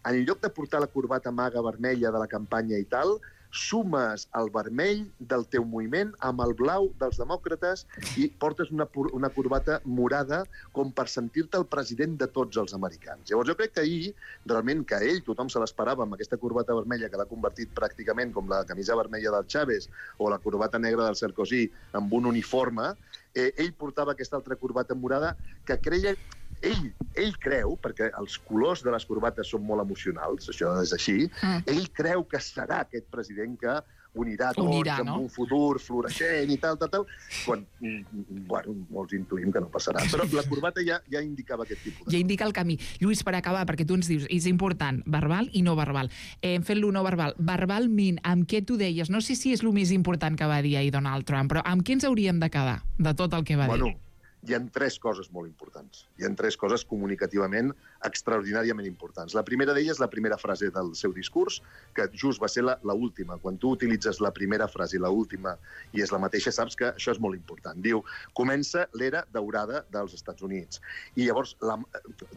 en lloc de portar la corbata maga vermella de la campanya i tal, sumes el vermell del teu moviment amb el blau dels demòcrates i portes una, una corbata morada com per sentir-te el president de tots els americans. Llavors jo crec que ahir, realment, que ell, tothom se l'esperava amb aquesta corbata vermella que l'ha convertit pràcticament com la camisa vermella del Chávez o la corbata negra del Sarkozy amb un uniforme, eh, ell portava aquesta altra corbata morada que creia... ell, ell creu, perquè els colors de les corbates són molt emocionals, això és així, mm. ell creu que serà aquest president que unirà tots unirà, amb no? un futur floreixent i tal, tal, tal, quan, bueno, molts intuïm que no passarà. Però la corbata ja, ja indicava aquest tipus de... Ja indica el camí. Lluís, per acabar, perquè tu ens dius, és important, verbal i no verbal. Eh, hem fet lo no verbal. Verbalment, amb què tu deies? No sé si és el més important que va dir ahir Donald Trump, però amb què ens hauríem de quedar de tot el que va bueno, dir? Hi ha tres coses molt importants. Hi ha tres coses comunicativament extraordinàriament importants. La primera d'elles és la primera frase del seu discurs, que just va ser la, la última. Quan tu utilitzes la primera frase i la última i és la mateixa, saps que això és molt important. Diu, comença l'era daurada dels Estats Units. I llavors, la,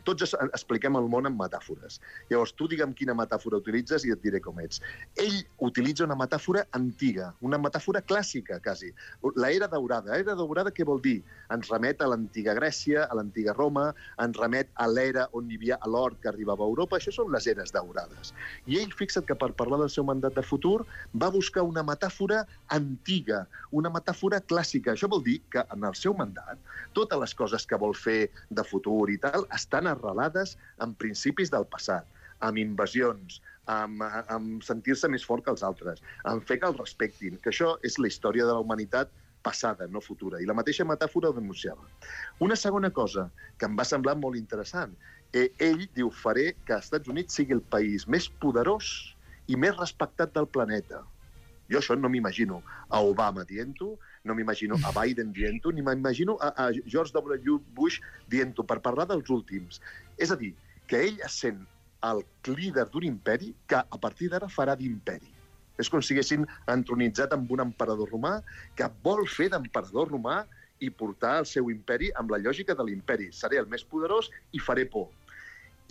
tots es, expliquem el món amb metàfores. Llavors, tu digue'm quina metàfora utilitzes i et diré com ets. Ell utilitza una metàfora antiga, una metàfora clàssica, quasi. La era daurada. La era daurada què vol dir? Ens remet a l'antiga Grècia, a l'antiga Roma, ens remet a l'era on hi havia l'or que arribava a Europa. Això són les eres daurades. I ell, fixa't que per parlar del seu mandat de futur va buscar una metàfora antiga, una metàfora clàssica. Això vol dir que en el seu mandat totes les coses que vol fer de futur i tal estan arrelades en principis del passat, amb invasions, amb, amb sentir-se més fort que els altres, amb fer que el respectin, que això és la història de la humanitat passada, no futura. I la mateixa metàfora ho denunciava. Una segona cosa que em va semblar molt interessant. Eh, ell diu, faré que els Estats Units sigui el país més poderós i més respectat del planeta. Jo això no m'imagino a Obama dient-ho, no m'imagino a Biden dient-ho, ni m'imagino a, a George W. Bush dient-ho, per parlar dels últims. És a dir, que ell es sent el líder d'un imperi que a partir d'ara farà d'imperi. És com si haguessin entronitzat amb un emperador romà que vol fer d'emperador romà i portar el seu imperi amb la lògica de l'imperi. Seré el més poderós i faré por.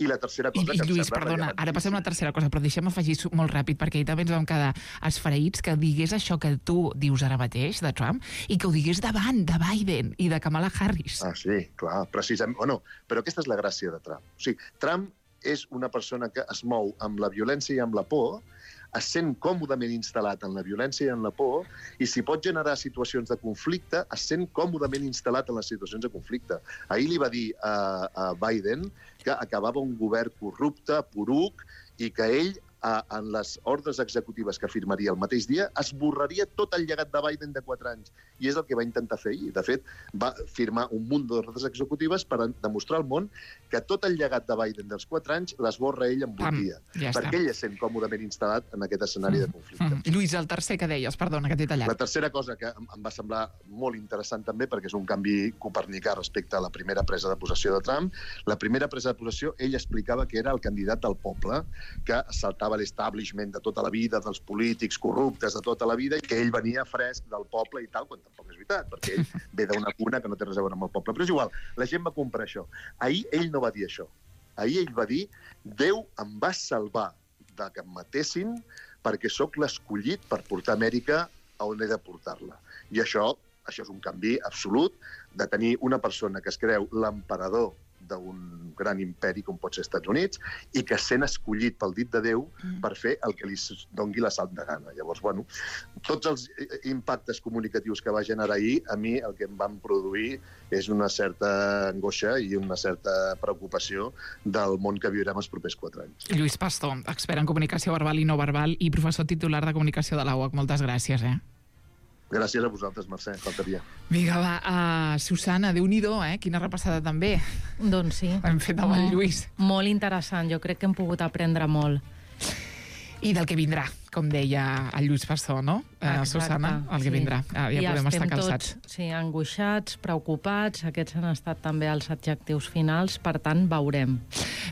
I la tercera cosa... I, que Lluís, perdona, ara passem a la tercera cosa, però deixem afegir molt ràpid, perquè ahir també ens vam quedar esfereïts que digués això que tu dius ara mateix, de Trump, i que ho digués davant de Biden i de Kamala Harris. Ah, sí, clar, precisament. O no, però aquesta és la gràcia de Trump. O sigui, Trump és una persona que es mou amb la violència i amb la por, es sent còmodament instal·lat en la violència i en la por, i si pot generar situacions de conflicte, es sent còmodament instal·lat en les situacions de conflicte. Ahir li va dir a, a Biden que acabava un govern corrupte, poruc, i que ell, a, en les ordres executives que firmaria el mateix dia, esborraria tot el llegat de Biden de quatre anys. I és el que va intentar fer ahir. De fet, va firmar un munt d'ordres executives per demostrar al món que tot el llegat de Biden dels quatre anys l'esborra ell en un dia. Ja perquè està. ell es sent còmodament instal·lat en aquest escenari de conflicte. Mm. Lluís, el tercer que deies, perdona, que t'he tallat. La tercera cosa que em, em va semblar molt interessant també, perquè és un canvi copernicà respecte a la primera presa de possessió de Trump, la primera presa de possessió, ell explicava que era el candidat del poble, que saltava l'establishment de tota la vida, dels polítics corruptes de tota la vida, i que ell venia fresc del poble i tal, quan tampoc és veritat, perquè ell ve d'una cuna que no té res a veure amb el poble. Però és igual, la gent va comprar això. Ahir ell no va dir això. Ahir ell va dir, Déu em va salvar de que em matessin perquè sóc l'escollit per portar Amèrica a on he de portar-la. I això, això és un canvi absolut de tenir una persona que es creu l'emperador d'un gran imperi com pot ser Estats Units i que sent escollit pel dit de Déu per fer el que li dongui la salt de gana. Llavors, bueno, tots els impactes comunicatius que va generar ahir, a mi el que em van produir és una certa angoixa i una certa preocupació del món que viurem els propers quatre anys. Lluís Pastor, expert en comunicació verbal i no verbal i professor titular de comunicació de l'A U A C. Moltes gràcies, eh? Gràcies a vosaltres, Mercè, faltaria. Vinga, va, uh, Susana, Déu-n'hi-do, eh? Quina repassada també. Doncs sí. Hem fet amb el Lluís. Molt interessant, jo crec que hem pogut aprendre molt. I del que vindrà, com deia el Lluís Pastor, no? Uh, Susana, el que sí. vindrà. Uh, ja I podem estar calçats. Tots, sí, angoixats, preocupats, aquests han estat també els adjectius finals, per tant, veurem.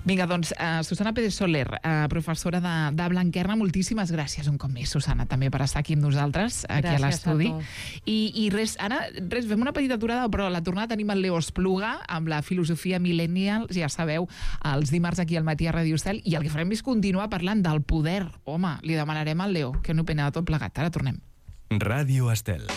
Vinga, doncs, uh, Susana Pérez Soler, uh, professora de, de Blanquerna, moltíssimes gràcies un cop més, Susana, també per estar aquí amb nosaltres, aquí gràcies a l'estudi. a I, I res, ara, res, fem una petita aturada, però la tornada tenim el Leo Espluga, amb la filosofia millennial, ja sabeu, els dimarts aquí al matí a Radio Estel, i el que farem és continuar parlant del poder. Home, li demanarem al Leo que n'opina de tot plegat. Ara tornem. Ràdio Estel.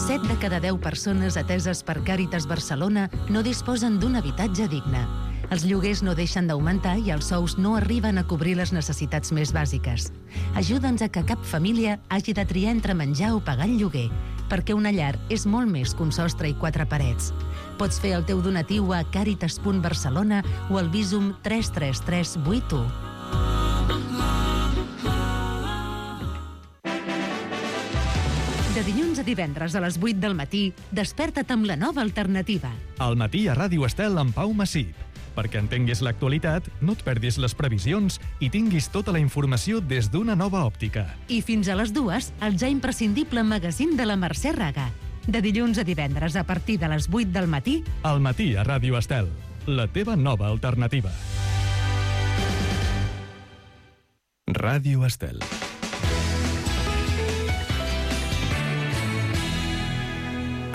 set de cada deu persones ateses per Càritas Barcelona no disposen d'un habitatge digne. Els lloguers no deixen d'augmentar i els sous no arriben a cobrir les necessitats més bàsiques. Ajuda'ns a que cap família hagi de triar entre menjar o pagar el lloguer, perquè una llar és molt més que un sostre i quatre parets. Pots fer el teu donatiu a caritas punt barcelona o al Bizum tres tres tres vuit u. De dilluns a divendres a les vuit del matí, desperta't amb la nova alternativa. Al matí a Ràdio Estel amb Pau Massip. Perquè entenguis l'actualitat, no et perdis les previsions i tinguis tota la informació des d'una nova òptica. I fins a les dues, el ja imprescindible magazín de la Mercè Raga. De dilluns a divendres a partir de les vuit del matí, Al matí a Ràdio Estel, la teva nova alternativa. Ràdio Estel.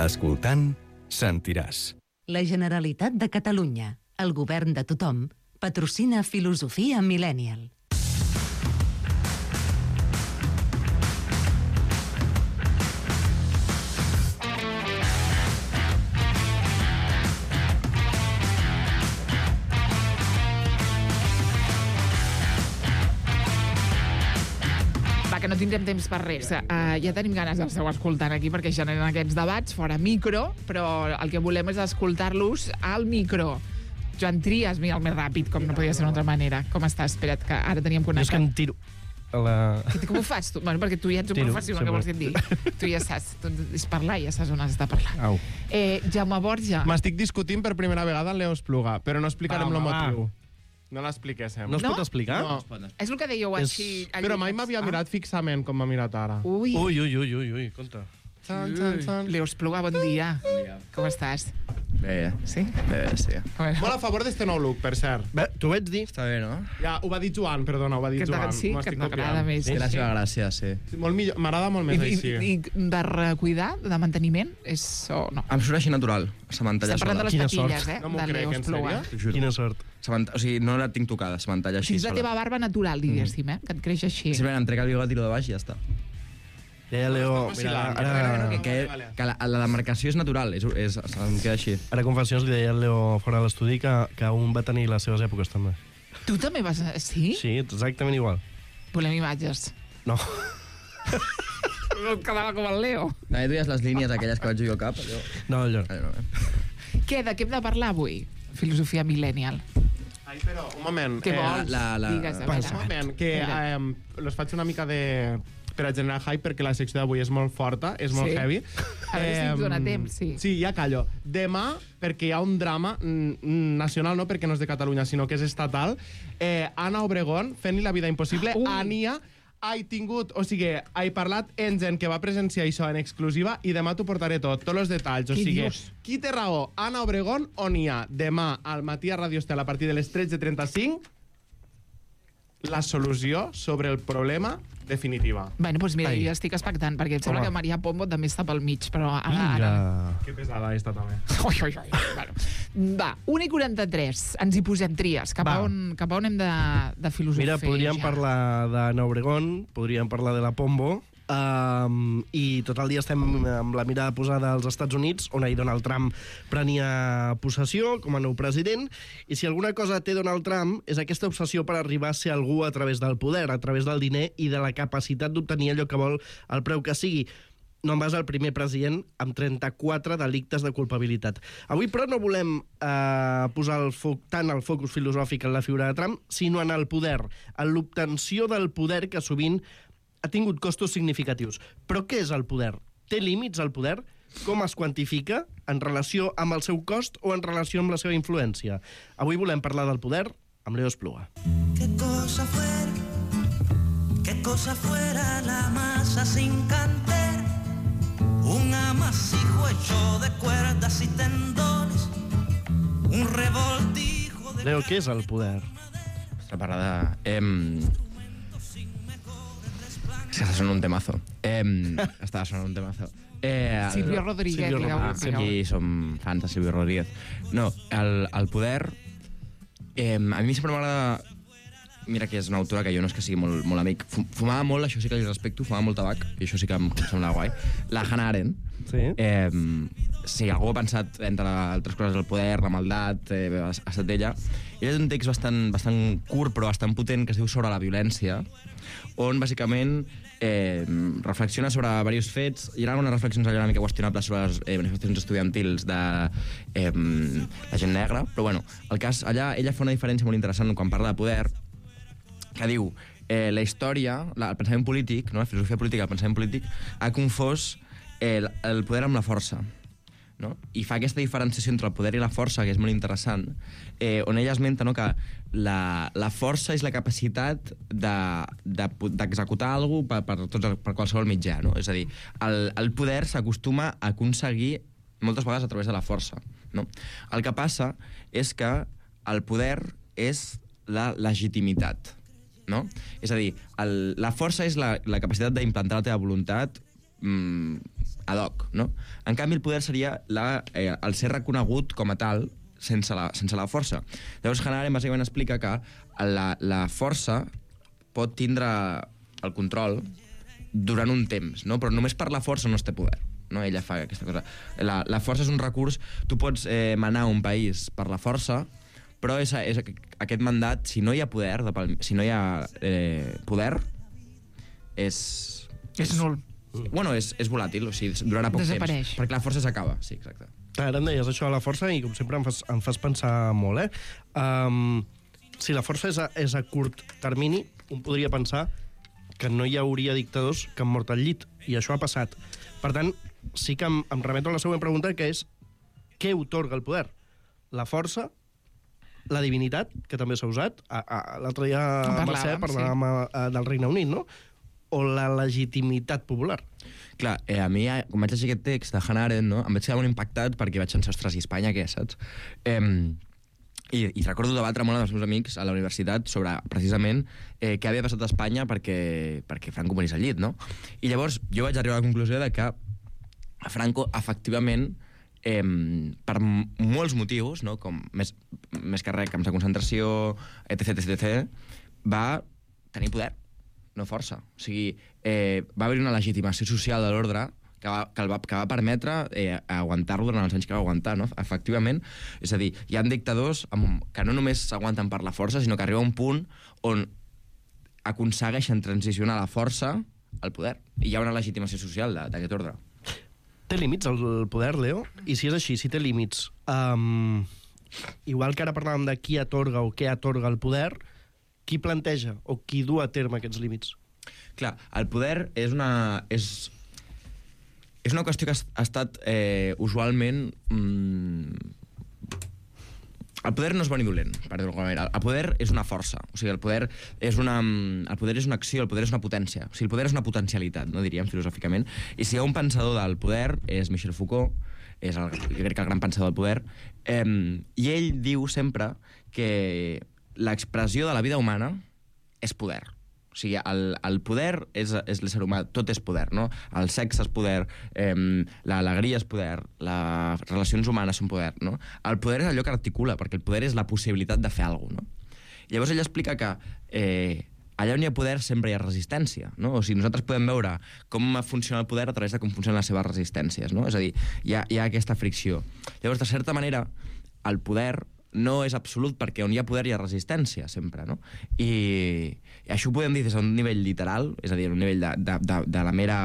Escoltant, sentiràs. la Generalitat de Catalunya, el govern de tothom, patrocina Filosofia Millennial. Que no tindrem temps per res. Uh, ja tenim ganes d'estar escoltant aquí perquè generen aquests debats fora micro, però el que volem és escoltar-los al micro. Joan Trias, mira, el més ràpid, com no podia ser d'una altra manera. Com estàs? Espera't, que ara teníem connectat. Jo és que em tiro a la... Com ho fas, tu? Bueno, perquè tu ja ets un Tiro, professional, que vols dir? Tu ja saps, tu és parlar, ja saps on has de parlar. Au. Eh, Jaume Borja. M'estic discutint per primera vegada amb Leo Espluga, però no explicarem el motiu. No l'expliquéssim. No es No? pot explicar? No. És el que dèieu És- així... Però mai m'havia Ah. mirat fixament com m'ha mirat ara. Ui, Ui, ui, ui, ui, ui, compte. San, san, san. Leo Espluga, bon dia. Com estàs? Bé, Sí? bé, sí. A veure, Molt a favor d'este nou look, per cert. Bé, t'ho vaig dir. Està bé, no? Ja, ho va dir Joan, perdona, ho va dir que Joan. t'agrada, sí, M'ho que estic t'agrada copiant. més. Sí, la seva gràcia, sí. Sí, molt millor, m'agrada molt I, més i, així. i de recuidar, de manteniment, és o no? Em surt així natural, la mantalla Estem parlant de sola. les Quina patilles, sort. eh? No m'ho de crec, Leo en Espluga. sèrio? T'ho juro. Quina sort. Se mant- O sigui, no la tinc tocada, la mantalla Sí, així és la sola. teva barba natural, diguéssim, eh? Que et creix així. Simplement em trec el bigot i lo de baix i ja està. Ja, Leo, Estàs mira, vacilant. ara, No, Que, vale. que la, la demarcació és natural, és, és, em queda així. ara confessions li deia al Leo fora de l'estudi que, que un va tenir les seves èpoques també. Tu també vas... a- Sí? Sí, exactament igual. Volem imatges. No. No et quedava com el Leo. També duies les línies aquelles que vaig jugar al cap. Allò... No, allò. Allò, no, eh? Què, de què hem de parlar avui? Filosofia millennial. Ai, però, un moment. Què eh, vols? la- la- Digues, a Un veure. moment, que eh, los faig una mica de... per a generar hype, perquè la secció d'avui és molt forta, és molt Sí? heavy. A veure si ens dona temps, sí. Sí, ja callo. Demà, perquè hi ha un drama mm, mm, nacional, no perquè no és de Catalunya, sinó que és estatal, eh, Anna Obregón, fent-li la vida impossible, Ui. Ania ha tingut, o sigui, ha parlat amb gent que va presenciar això en exclusiva i demà t'ho portaré tot, tots els detalls. O Què sigui, dius? qui té raó, Anna Obregón o Nia? Demà al matí a Ràdio Estel a partir de les tretze trenta-cinc la solució sobre el problema definitiva. Bueno, doncs mira, Ai. jo estic expectant, perquè em sembla Home. que Maria Pombo també està pel mig, però ara... Vinga. ara... Que pesada esta també. Ui, ui, ui. Bueno, va, una i quaranta-tres, ens hi posem Trias. Cap a Va. on, cap a on hem de, de filosofar? Mira, podríem ja? parlar d'Anna Obregón, podríem parlar de la Pombo, um, i tot el dia estem amb la mirada posada als Estats Units, on ahir Donald Trump prenia possessió com a nou president, i si alguna cosa té Donald Trump és aquesta obsessió per arribar a ser algú a través del poder, a través del diner i de la capacitat d'obtenir allò que vol al preu que sigui. No en vas al primer president amb trenta-quatre delictes de culpabilitat. Avui, però, no volem eh, posar el foc, tant el focus filosòfic en la figura de Trump, sinó en el poder, en l'obtenció del poder que sovint ha tingut costos significatius. Però què és el poder? Té límits el poder? Com es quantifica? En relació amb el seu cost o en relació amb la seva influència? Avui volem parlar del poder amb Leo Espluga. Qué cosa fuera, qué cosa fuera la masa sin canter, un amasijo hecho de cuerdas y tendones, un revoltijo de... Leo, què és el poder? Ostres, parlar de... Em... És que està sonant un temazo. Em... Estava sonant un temazo. Eh, el- Silvio Rodríguez, Silvio digueu, Ah, digueu. aquí som fans de Silvio Rodríguez. No, el, el poder... Eh, a mi sempre m'agrada mira que és una autora que jo no és que sigui molt, molt amic. Fumava molt, això sí que li respecto, fumava molt tabac, i això sí que em sembla guai. La Hannah Arendt. Sí. Eh, si algú ha pensat, entre altres coses, el poder, la maldat, eh, ha estat ella. Ella és un text bastant, bastant curt, però bastant potent, que es diu Sobre la violència, on, bàsicament, eh, reflexiona sobre diversos fets. Hi ha algunes reflexions allà una mica qüestionables sobre les eh, manifestacions estudiantils de eh, la gent negra, però, bueno, el cas, allà ella fa una diferència molt interessant quan parla de poder, que diu, eh, la història, la, el pensament polític, no? La filosofia política, el pensament polític, ha confós el, el poder amb la força. No? I fa aquesta diferenciació entre el poder i la força, que és molt interessant, eh, on ella esmenta, no, que la, la força és la capacitat d'executar de, de, alguna cosa per, per, tots, per qualsevol mitjà. No? És a dir, el, el poder s'acostuma a aconseguir moltes vegades a través de la força. No? El que passa és que el poder és la legitimitat. No? És a dir, el, la força és la, la capacitat d'implantar la teva voluntat mm, ad hoc, no? En canvi, el poder seria la, eh, el ser reconegut com a tal sense la, sense la força. Llavors, Hannah Arendt bàsicament explica que la, la força pot tindre el control durant un temps, no? Però només per la força no es té poder. No? Ella fa aquesta cosa. La, la força és un recurs... Tu pots eh, manar un país per la força, però és, és aquest mandat, si no hi ha poder, de, si no hi ha eh, poder, és... És nul. Bueno, és, és volàtil, o sigui, durarà poc Desapareix. temps. Perquè la força s'acaba, sí, exacte. Ara em deies això de la força i, com sempre, em fas, em fas pensar molt, eh? Um, si la força és a, és a curt termini, un podria pensar que no hi hauria dictadors que han mort al llit, i això ha passat. Per tant, sí que em, em remeto a la següent pregunta, que és què otorga el poder? La força, la divinitat, que també s'ha usat, l'altre dia, Mercè, parlàvem sí. del Regne Unit, no? O la legitimitat popular. Clar, eh, a mi, quan vaig llegir aquest text de Hannah Arendt, no, em vaig quedar molt impactat perquè vaig pensar, ostres, i Espanya què, saps? Eh, i, I recordo debatre molt amb els meus amics a la universitat sobre, precisament, eh, què havia passat a Espanya perquè, perquè Franco morís al llit, no? I llavors jo vaig arribar a la conclusió de que Franco, efectivament, eh, per molts motius, no, com més, més que res, camps de concentració, etc, etc, etc, va tenir poder, no força. O sigui, eh, va haver una legitimació social de l'ordre que va, que, va, que va permetre eh, aguantar-lo durant els anys que va aguantar, no? Efectivament. És a dir, hi ha dictadors amb, que no només s'aguanten per la força, sinó que arriba un punt on aconsegueixen transicionar la força al poder. I hi ha una legitimació social d'aquest ordre. Té límits el poder, Leo? I si és així, si té límits, um, igual que ara parlàvem de qui atorga o què atorga el poder, qui planteja o qui du a terme aquests límits? Clar, el poder és una... És, és una qüestió que ha estat eh, usualment... Mm, el poder no és bon i dolent, per dir-ho d'alguna manera. El poder és una força. O sigui, el poder és una, el poder és una acció, el poder és una potència. O sigui, el poder és una potencialitat, no diríem, filosòficament. I si hi ha un pensador del poder, és Michel Foucault, és el, jo crec que el gran pensador del poder, eh, i ell diu sempre que l'expressió de la vida humana és poder. O sigui, el, el poder és, és l'ésser humà, tot és poder, no? El sexe és poder, eh, l'alegria és poder, les relacions humanes són poder, no? El poder és allò que articula, perquè el poder és la possibilitat de fer alguna cosa, no? Llavors ell explica que eh, allà on hi ha poder sempre hi ha resistència, no? O sigui, nosaltres podem veure com funciona el poder a través de com funcionen les seves resistències, no? És a dir, hi ha, hi ha aquesta fricció. Llavors, de certa manera, el poder no és absolut, perquè on hi ha poder hi ha resistència, sempre, no? I, i això ho podem dir des d'un nivell literal, és a dir, un nivell de, de, de, de la mera...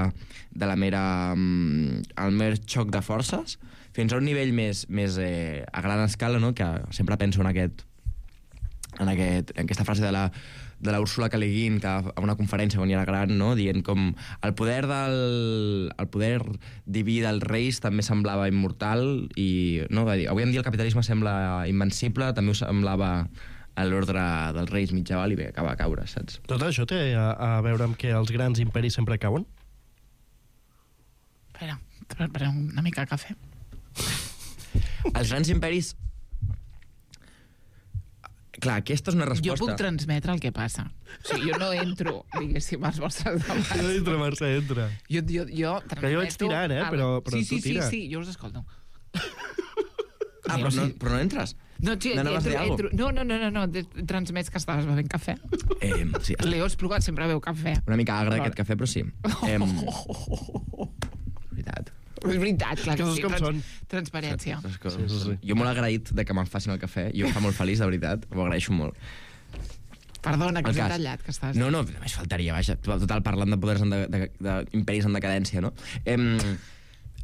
de la mera... Um, el mer xoc de forces, fins a un nivell més, més eh, a gran escala, no?, que sempre penso en aquest... en, aquest, en aquesta frase de la, de la Úrsula K. Le Guin, que a una conferència quan hi era gran, no?, dient com el poder del el poder diví dels reis també semblava immortal i, no, va dir, avui en dia el capitalisme sembla invencible, també ho semblava a l'ordre dels reis mitjaval i bé, acaba de caure, saps? Tot això té a, a veure amb que els grans imperis sempre cauen? Espera, espera una mica de cafè. Els grans imperis... Clar, aquesta és una resposta... Jo puc transmetre el que passa. O sigui, jo no entro, diguéssim, als vostres debats. No entra, Mercè, entra. Jo, jo, jo transmeto... Que jo vaig tirant, eh? Però, però sí, tu sí, tira. Sí, sí, sí, jo us escolto. Ah, però no, però no entres? No, sí, no, no, he, vas dir he, alguna he, no, no, no, no, no, he transmès que estaves bevent cafè. Eh, sí, Leo Esplugat sempre beu cafè. una mica agre aquest cafè, però sí. Eh, veritat. És veritat, clar que Coses sí. com són. Transparència. Les coses. Sí, sí, sí. Jo molt agraït de que me'n facin el cafè. Jo em fa molt feliç, de veritat. Ho agraeixo molt. Perdona, que El us he cas. tallat, que estàs... No, no, només faltaria, vaja. Total, parlant de poders, en de, de, de, imperis en decadència, no? Em,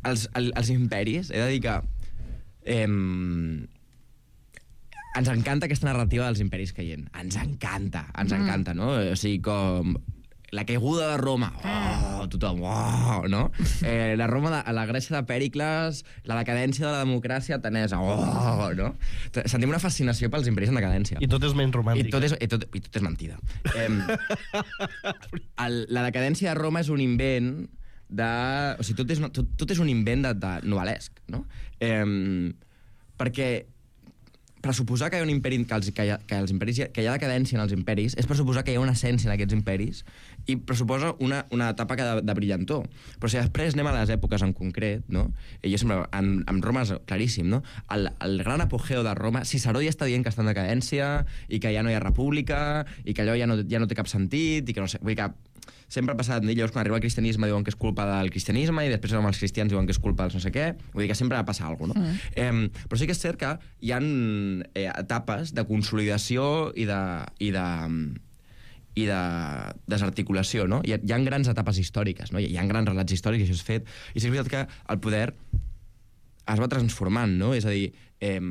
els, el, els imperis, he de dir que... Em, ens encanta aquesta narrativa dels imperis caient. Ens encanta, ens mm. encanta, no? O sigui, com... La caiguda de Roma, oh, tothom, oh, no? Eh, la Roma, de, la Grècia de Pèricles, la decadència de la democràcia atenesa, oh, no? Sentim una fascinació pels imperis en decadència. I tot és menys romàntic. I tot és, i tot, i tot és mentida. Eh, el, la decadència de Roma és un invent de... O sigui, tot és, tot, tot és un invent de, de novel·lesc, no? Eh, perquè pressuposar que hi ha un imperi, que, els, que, hi ha, que, els imperis, que hi ha decadència en els imperis és pressuposar que hi ha una essència en aquests imperis i pressuposa una, una etapa que de, de brillantor. Però si després anem a les èpoques en concret, no? I jo sempre, en, en Roma és claríssim, no? El, el gran apogeu de Roma, Ciceró ja està dient que està en decadència i que ja no hi ha república i que allò ja no, ja no té cap sentit i que no sé, vull dir que sempre ha passat, llavors quan arriba el cristianisme diuen que és culpa del cristianisme i després amb els cristians diuen que és culpa dels no sé què, vull dir que sempre ha passat alguna cosa, no? Mm. Eh, però sí que és cert que hi ha eh, etapes de consolidació i de, i de, i de desarticulació, no? Hi ha, hi ha grans etapes històriques, no? Hi ha grans relats històrics, això és fet, i sí que és veritat que el poder es va transformant, no? És a dir, eh,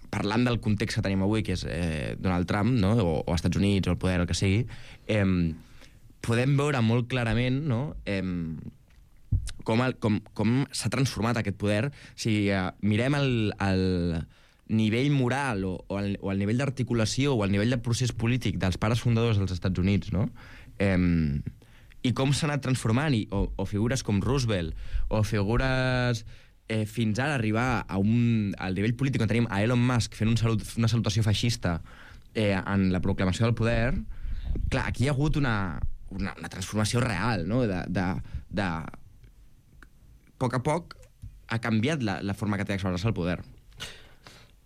parlant del context que tenim avui, que és eh, Donald Trump, no? o, o Estats Units, o el poder, el que sigui, eh, podem veure molt clarament, no? eh, com, el, com, com s'ha transformat aquest poder. Si eh, mirem el, el nivell moral o, o, el, o el nivell d'articulació o el nivell de procés polític dels pares fundadors dels Estats Units, no? eh, i com s'ha anat transformant, i, o, o figures com Roosevelt, o figures... Eh, fins ara arribar a un, al nivell polític on tenim a Elon Musk fent un salut, una salutació feixista eh, en la proclamació del poder, clar, aquí hi ha hagut una, una, una transformació real, no? De, de, de... A poc a poc ha canviat la, la forma que té d'expressar el poder.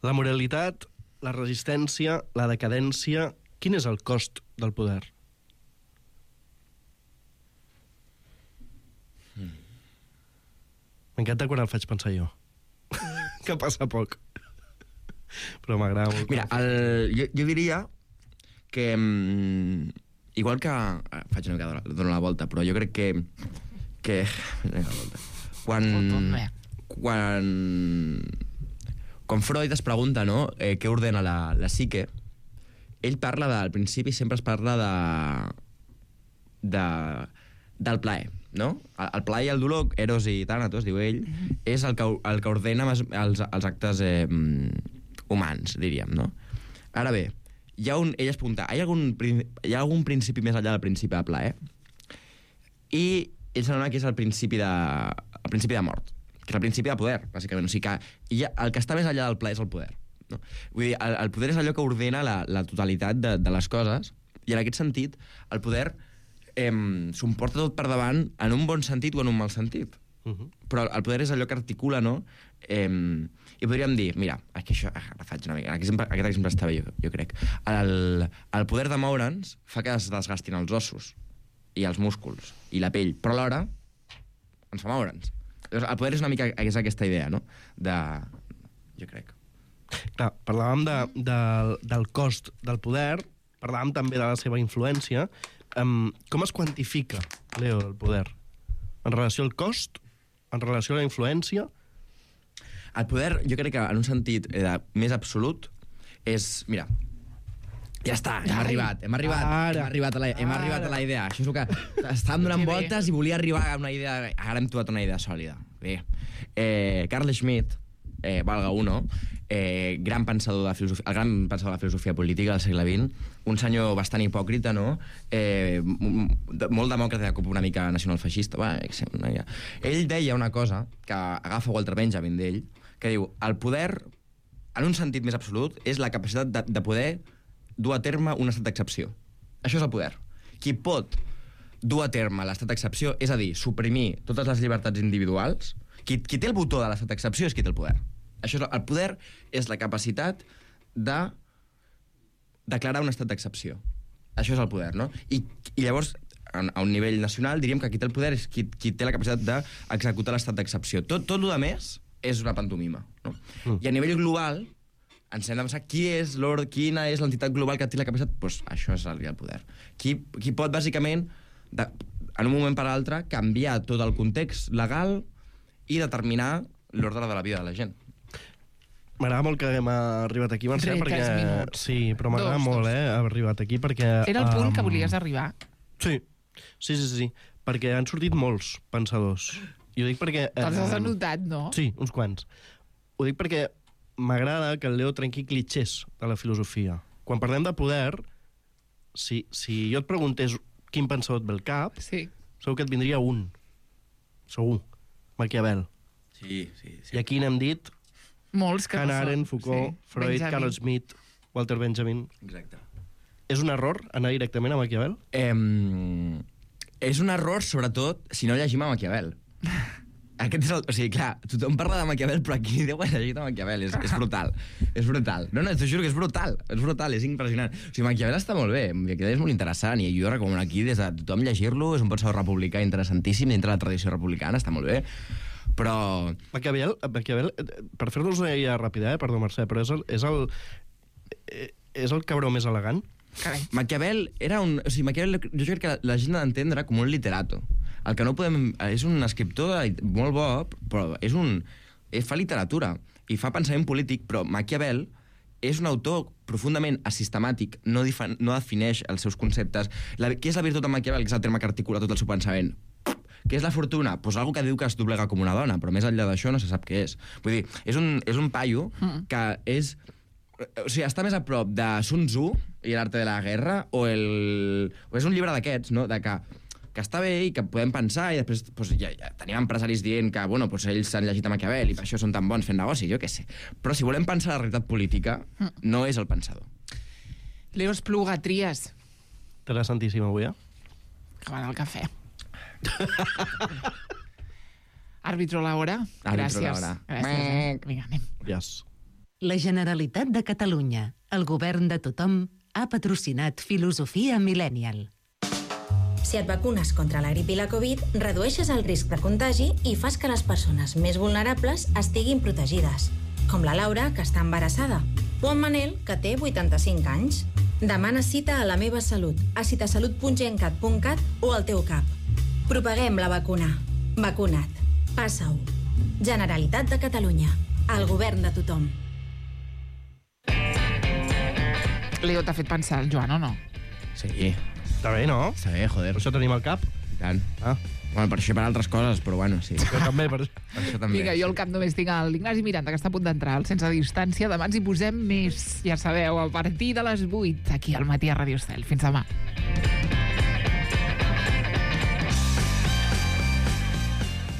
La moralitat, la resistència, la decadència... Quin és el cost del poder? M'encanta quan el faig pensar jo. Que passa poc. Però m'agrada molt. Mira, el, jo, jo diria que... Mm, igual que... Eh, faig una mica, dono la volta, però jo crec que... que la volta. Quan... Quan... Quan Freud es pregunta, no?, eh, què ordena la, la psique, ell parla del principi, sempre es parla de... de del plaer, no? El, el plaer i el dolor, Eros i Tànatos, diu ell, mm-hmm. és el que, el que ordena els, els, els actes eh, humans, diríem, no? Ara bé, hi ha un, ell es pregunta, hi ha algun, hi ha algun principi més enllà del principi de plaer? I ell s'adona que és el principi de, el principi de mort, que és el principi de poder, bàsicament. O sigui que hi ha, el que està més enllà del plaer és el poder. No? Vull dir, el, el poder és allò que ordena la, la totalitat de, de les coses, i en aquest sentit, el poder... Eh, s'ho porta tot per davant en un bon sentit o en un mal sentit. Uh-huh. Però el poder és allò que articula, no? Eh, I podríem dir, mira, aquí això, ara faig una mica, aquest, aquest exemple està bé, jo, jo crec. El, el poder de moure'ns fa que es desgastin els ossos i els músculs i la pell, però alhora ens fa moure'ns. Llavors, el poder és una mica és aquesta idea, no? De... jo crec. Clar, parlàvem de, de, del cost del poder, parlàvem també de la seva influència. Um, com es quantifica, Leo, el poder? En relació al cost? En relació a la influència? El poder, jo crec que en un sentit eh, més absolut, és... Mira, ja està, hem arribat, hem arribat, hem arribat, a la, hem arribat a la idea. Això és el que estàvem donant voltes i volia arribar a una idea... Ara hem trobat una idea sòlida. Bé, eh, Carl Schmitt, eh, valga uno, eh, gran pensador de filosofia, el gran pensador de filosofia política del segle vint, un senyor bastant hipòcrita, no? Eh, molt demòcrata, com una mica nacionalfeixista. Bé, ell deia una cosa que agafa Walter Benjamin d'ell, que diu, el poder, en un sentit més absolut, és la capacitat de, de poder dur a terme un estat d'excepció. Això és el poder. Qui pot dur a terme l'estat d'excepció, és a dir, suprimir totes les llibertats individuals, qui, qui té el botó de l'estat d'excepció és qui té el poder. Això és, el poder és la capacitat de declarar un estat d'excepció. Això és el poder, no? I, i llavors, a un nivell nacional, diríem que qui té el poder és qui, qui té la capacitat d'executar l'estat d'excepció. Tot, tot el més és una pantomima, no? Mm. I a nivell global, ens hem de pensar qui és l'ordre, quina és l'entitat global que té la capacitat, doncs això és el, el poder. Qui, qui pot, bàsicament, de, en un moment per altre, canviar tot el context legal i determinar l'ordre de la vida de la gent. M'agrada molt que haguem arribat aquí, Mercè, Re, perquè... tres minuts. Sí, però m'agrada Dos, molt, dos. eh, haver arribat aquí, perquè... Era el punt um, que volies arribar. Sí, sí, sí, sí, perquè han sortit molts pensadors. I ho dic perquè... Te'ls has eh, anotat, no? Sí, uns quants. Ho dic perquè m'agrada que el Leo trenqui clitxers de la filosofia. Quan parlem de poder, si, si jo et preguntés quin pensador et ve al cap, sí. segur que et vindria un. Segur. Maquiavel. Sí, sí, sí. I aquí n'hem dit... Molts que Hannah no són. Arendt, Foucault, Sí. Freud, Benjamin. Carl Smith, Walter Benjamin. Exacte. És un error anar directament a Maquiavel? Eh, és un error, sobretot, si no llegim a Maquiavel. Aquest és el... O sigui, clar, tothom parla de Maquiavel, però aquí ningú ha llegit a Maquiavel. És, és brutal. És brutal. No, no, t'ho juro que és brutal. És brutal, és impressionant. O sigui, Maquiavel està molt bé. Maquiavel és molt interessant i jo recomano aquí des de tothom llegir-lo. És un pensador republicà interessantíssim dintre la tradició republicana, està molt bé. Però... Maquiavel, Maquiavel per fer-nos una idea ràpida, eh? Perdó, Mercè, però és el, és el, és el cabró més elegant? Carai. Maquiavel era un... O sigui, Maquiavel, jo crec que la gent ha d'entendre com un literato. El que no podem... És un escriptor molt bo, però és un... Fa literatura i fa pensament polític, però Maquiavel és un autor profundament asistemàtic, no, no defineix els seus conceptes. La, què és la virtut de Maquiavel, que és el terme que articula tot el seu pensament? Què és la fortuna? Doncs pues algo que diu que es doblega com una dona, però més enllà d'això no se sap què és. Vull dir, és un, és un paio que és... O sigui, està més a prop de Sun Tzu i l'arte de la guerra, o, el, o és un llibre d'aquests, no?, de que, que està bé i que podem pensar, i després pues, ja, ja tenim empresaris dient que, bueno, pues, ells s'han llegit a Maquiavel i per això són tan bons fent negoci, jo què sé. Però si volem pensar la realitat política, no és el pensador. Leo Espluga, Tries, Interessantíssim avui, eh? que van al cafè. Àrbitro la hora. Àrbitro la Gràcies. hora. Gràcies. Vinga, anem. Yes. La Generalitat de Catalunya, el govern de tothom, ha patrocinat Filosofia Millennial. Si et vacunes contra la grip i la Covid, redueixes el risc de contagi i fas que les persones més vulnerables estiguin protegides, com la Laura, que està embarassada, o en Manel, que té vuitanta-cinc anys. Demana cita a La Meva Salut, a citasalut punt gencat punt cat o al teu cap. Propaguem la vacuna. Vacuna't. Passa-ho. Generalitat de Catalunya. El govern de tothom. Leo, t'ha fet pensar el Joan o no? Sí. Està bé, no? Està bé, joder. Per això tenim al cap? I tant. Ah. Bueno, per això i per altres coses, però bueno, sí. Jo també, per... Per això també. Vinga, jo al cap només tinc l'Ignasi Miranda, que està a punt d'entrar al Sense Distància. Demà ens hi posem més, ja sabeu, a partir de les vuit, aquí al Matí a Radio Estel. Fins demà.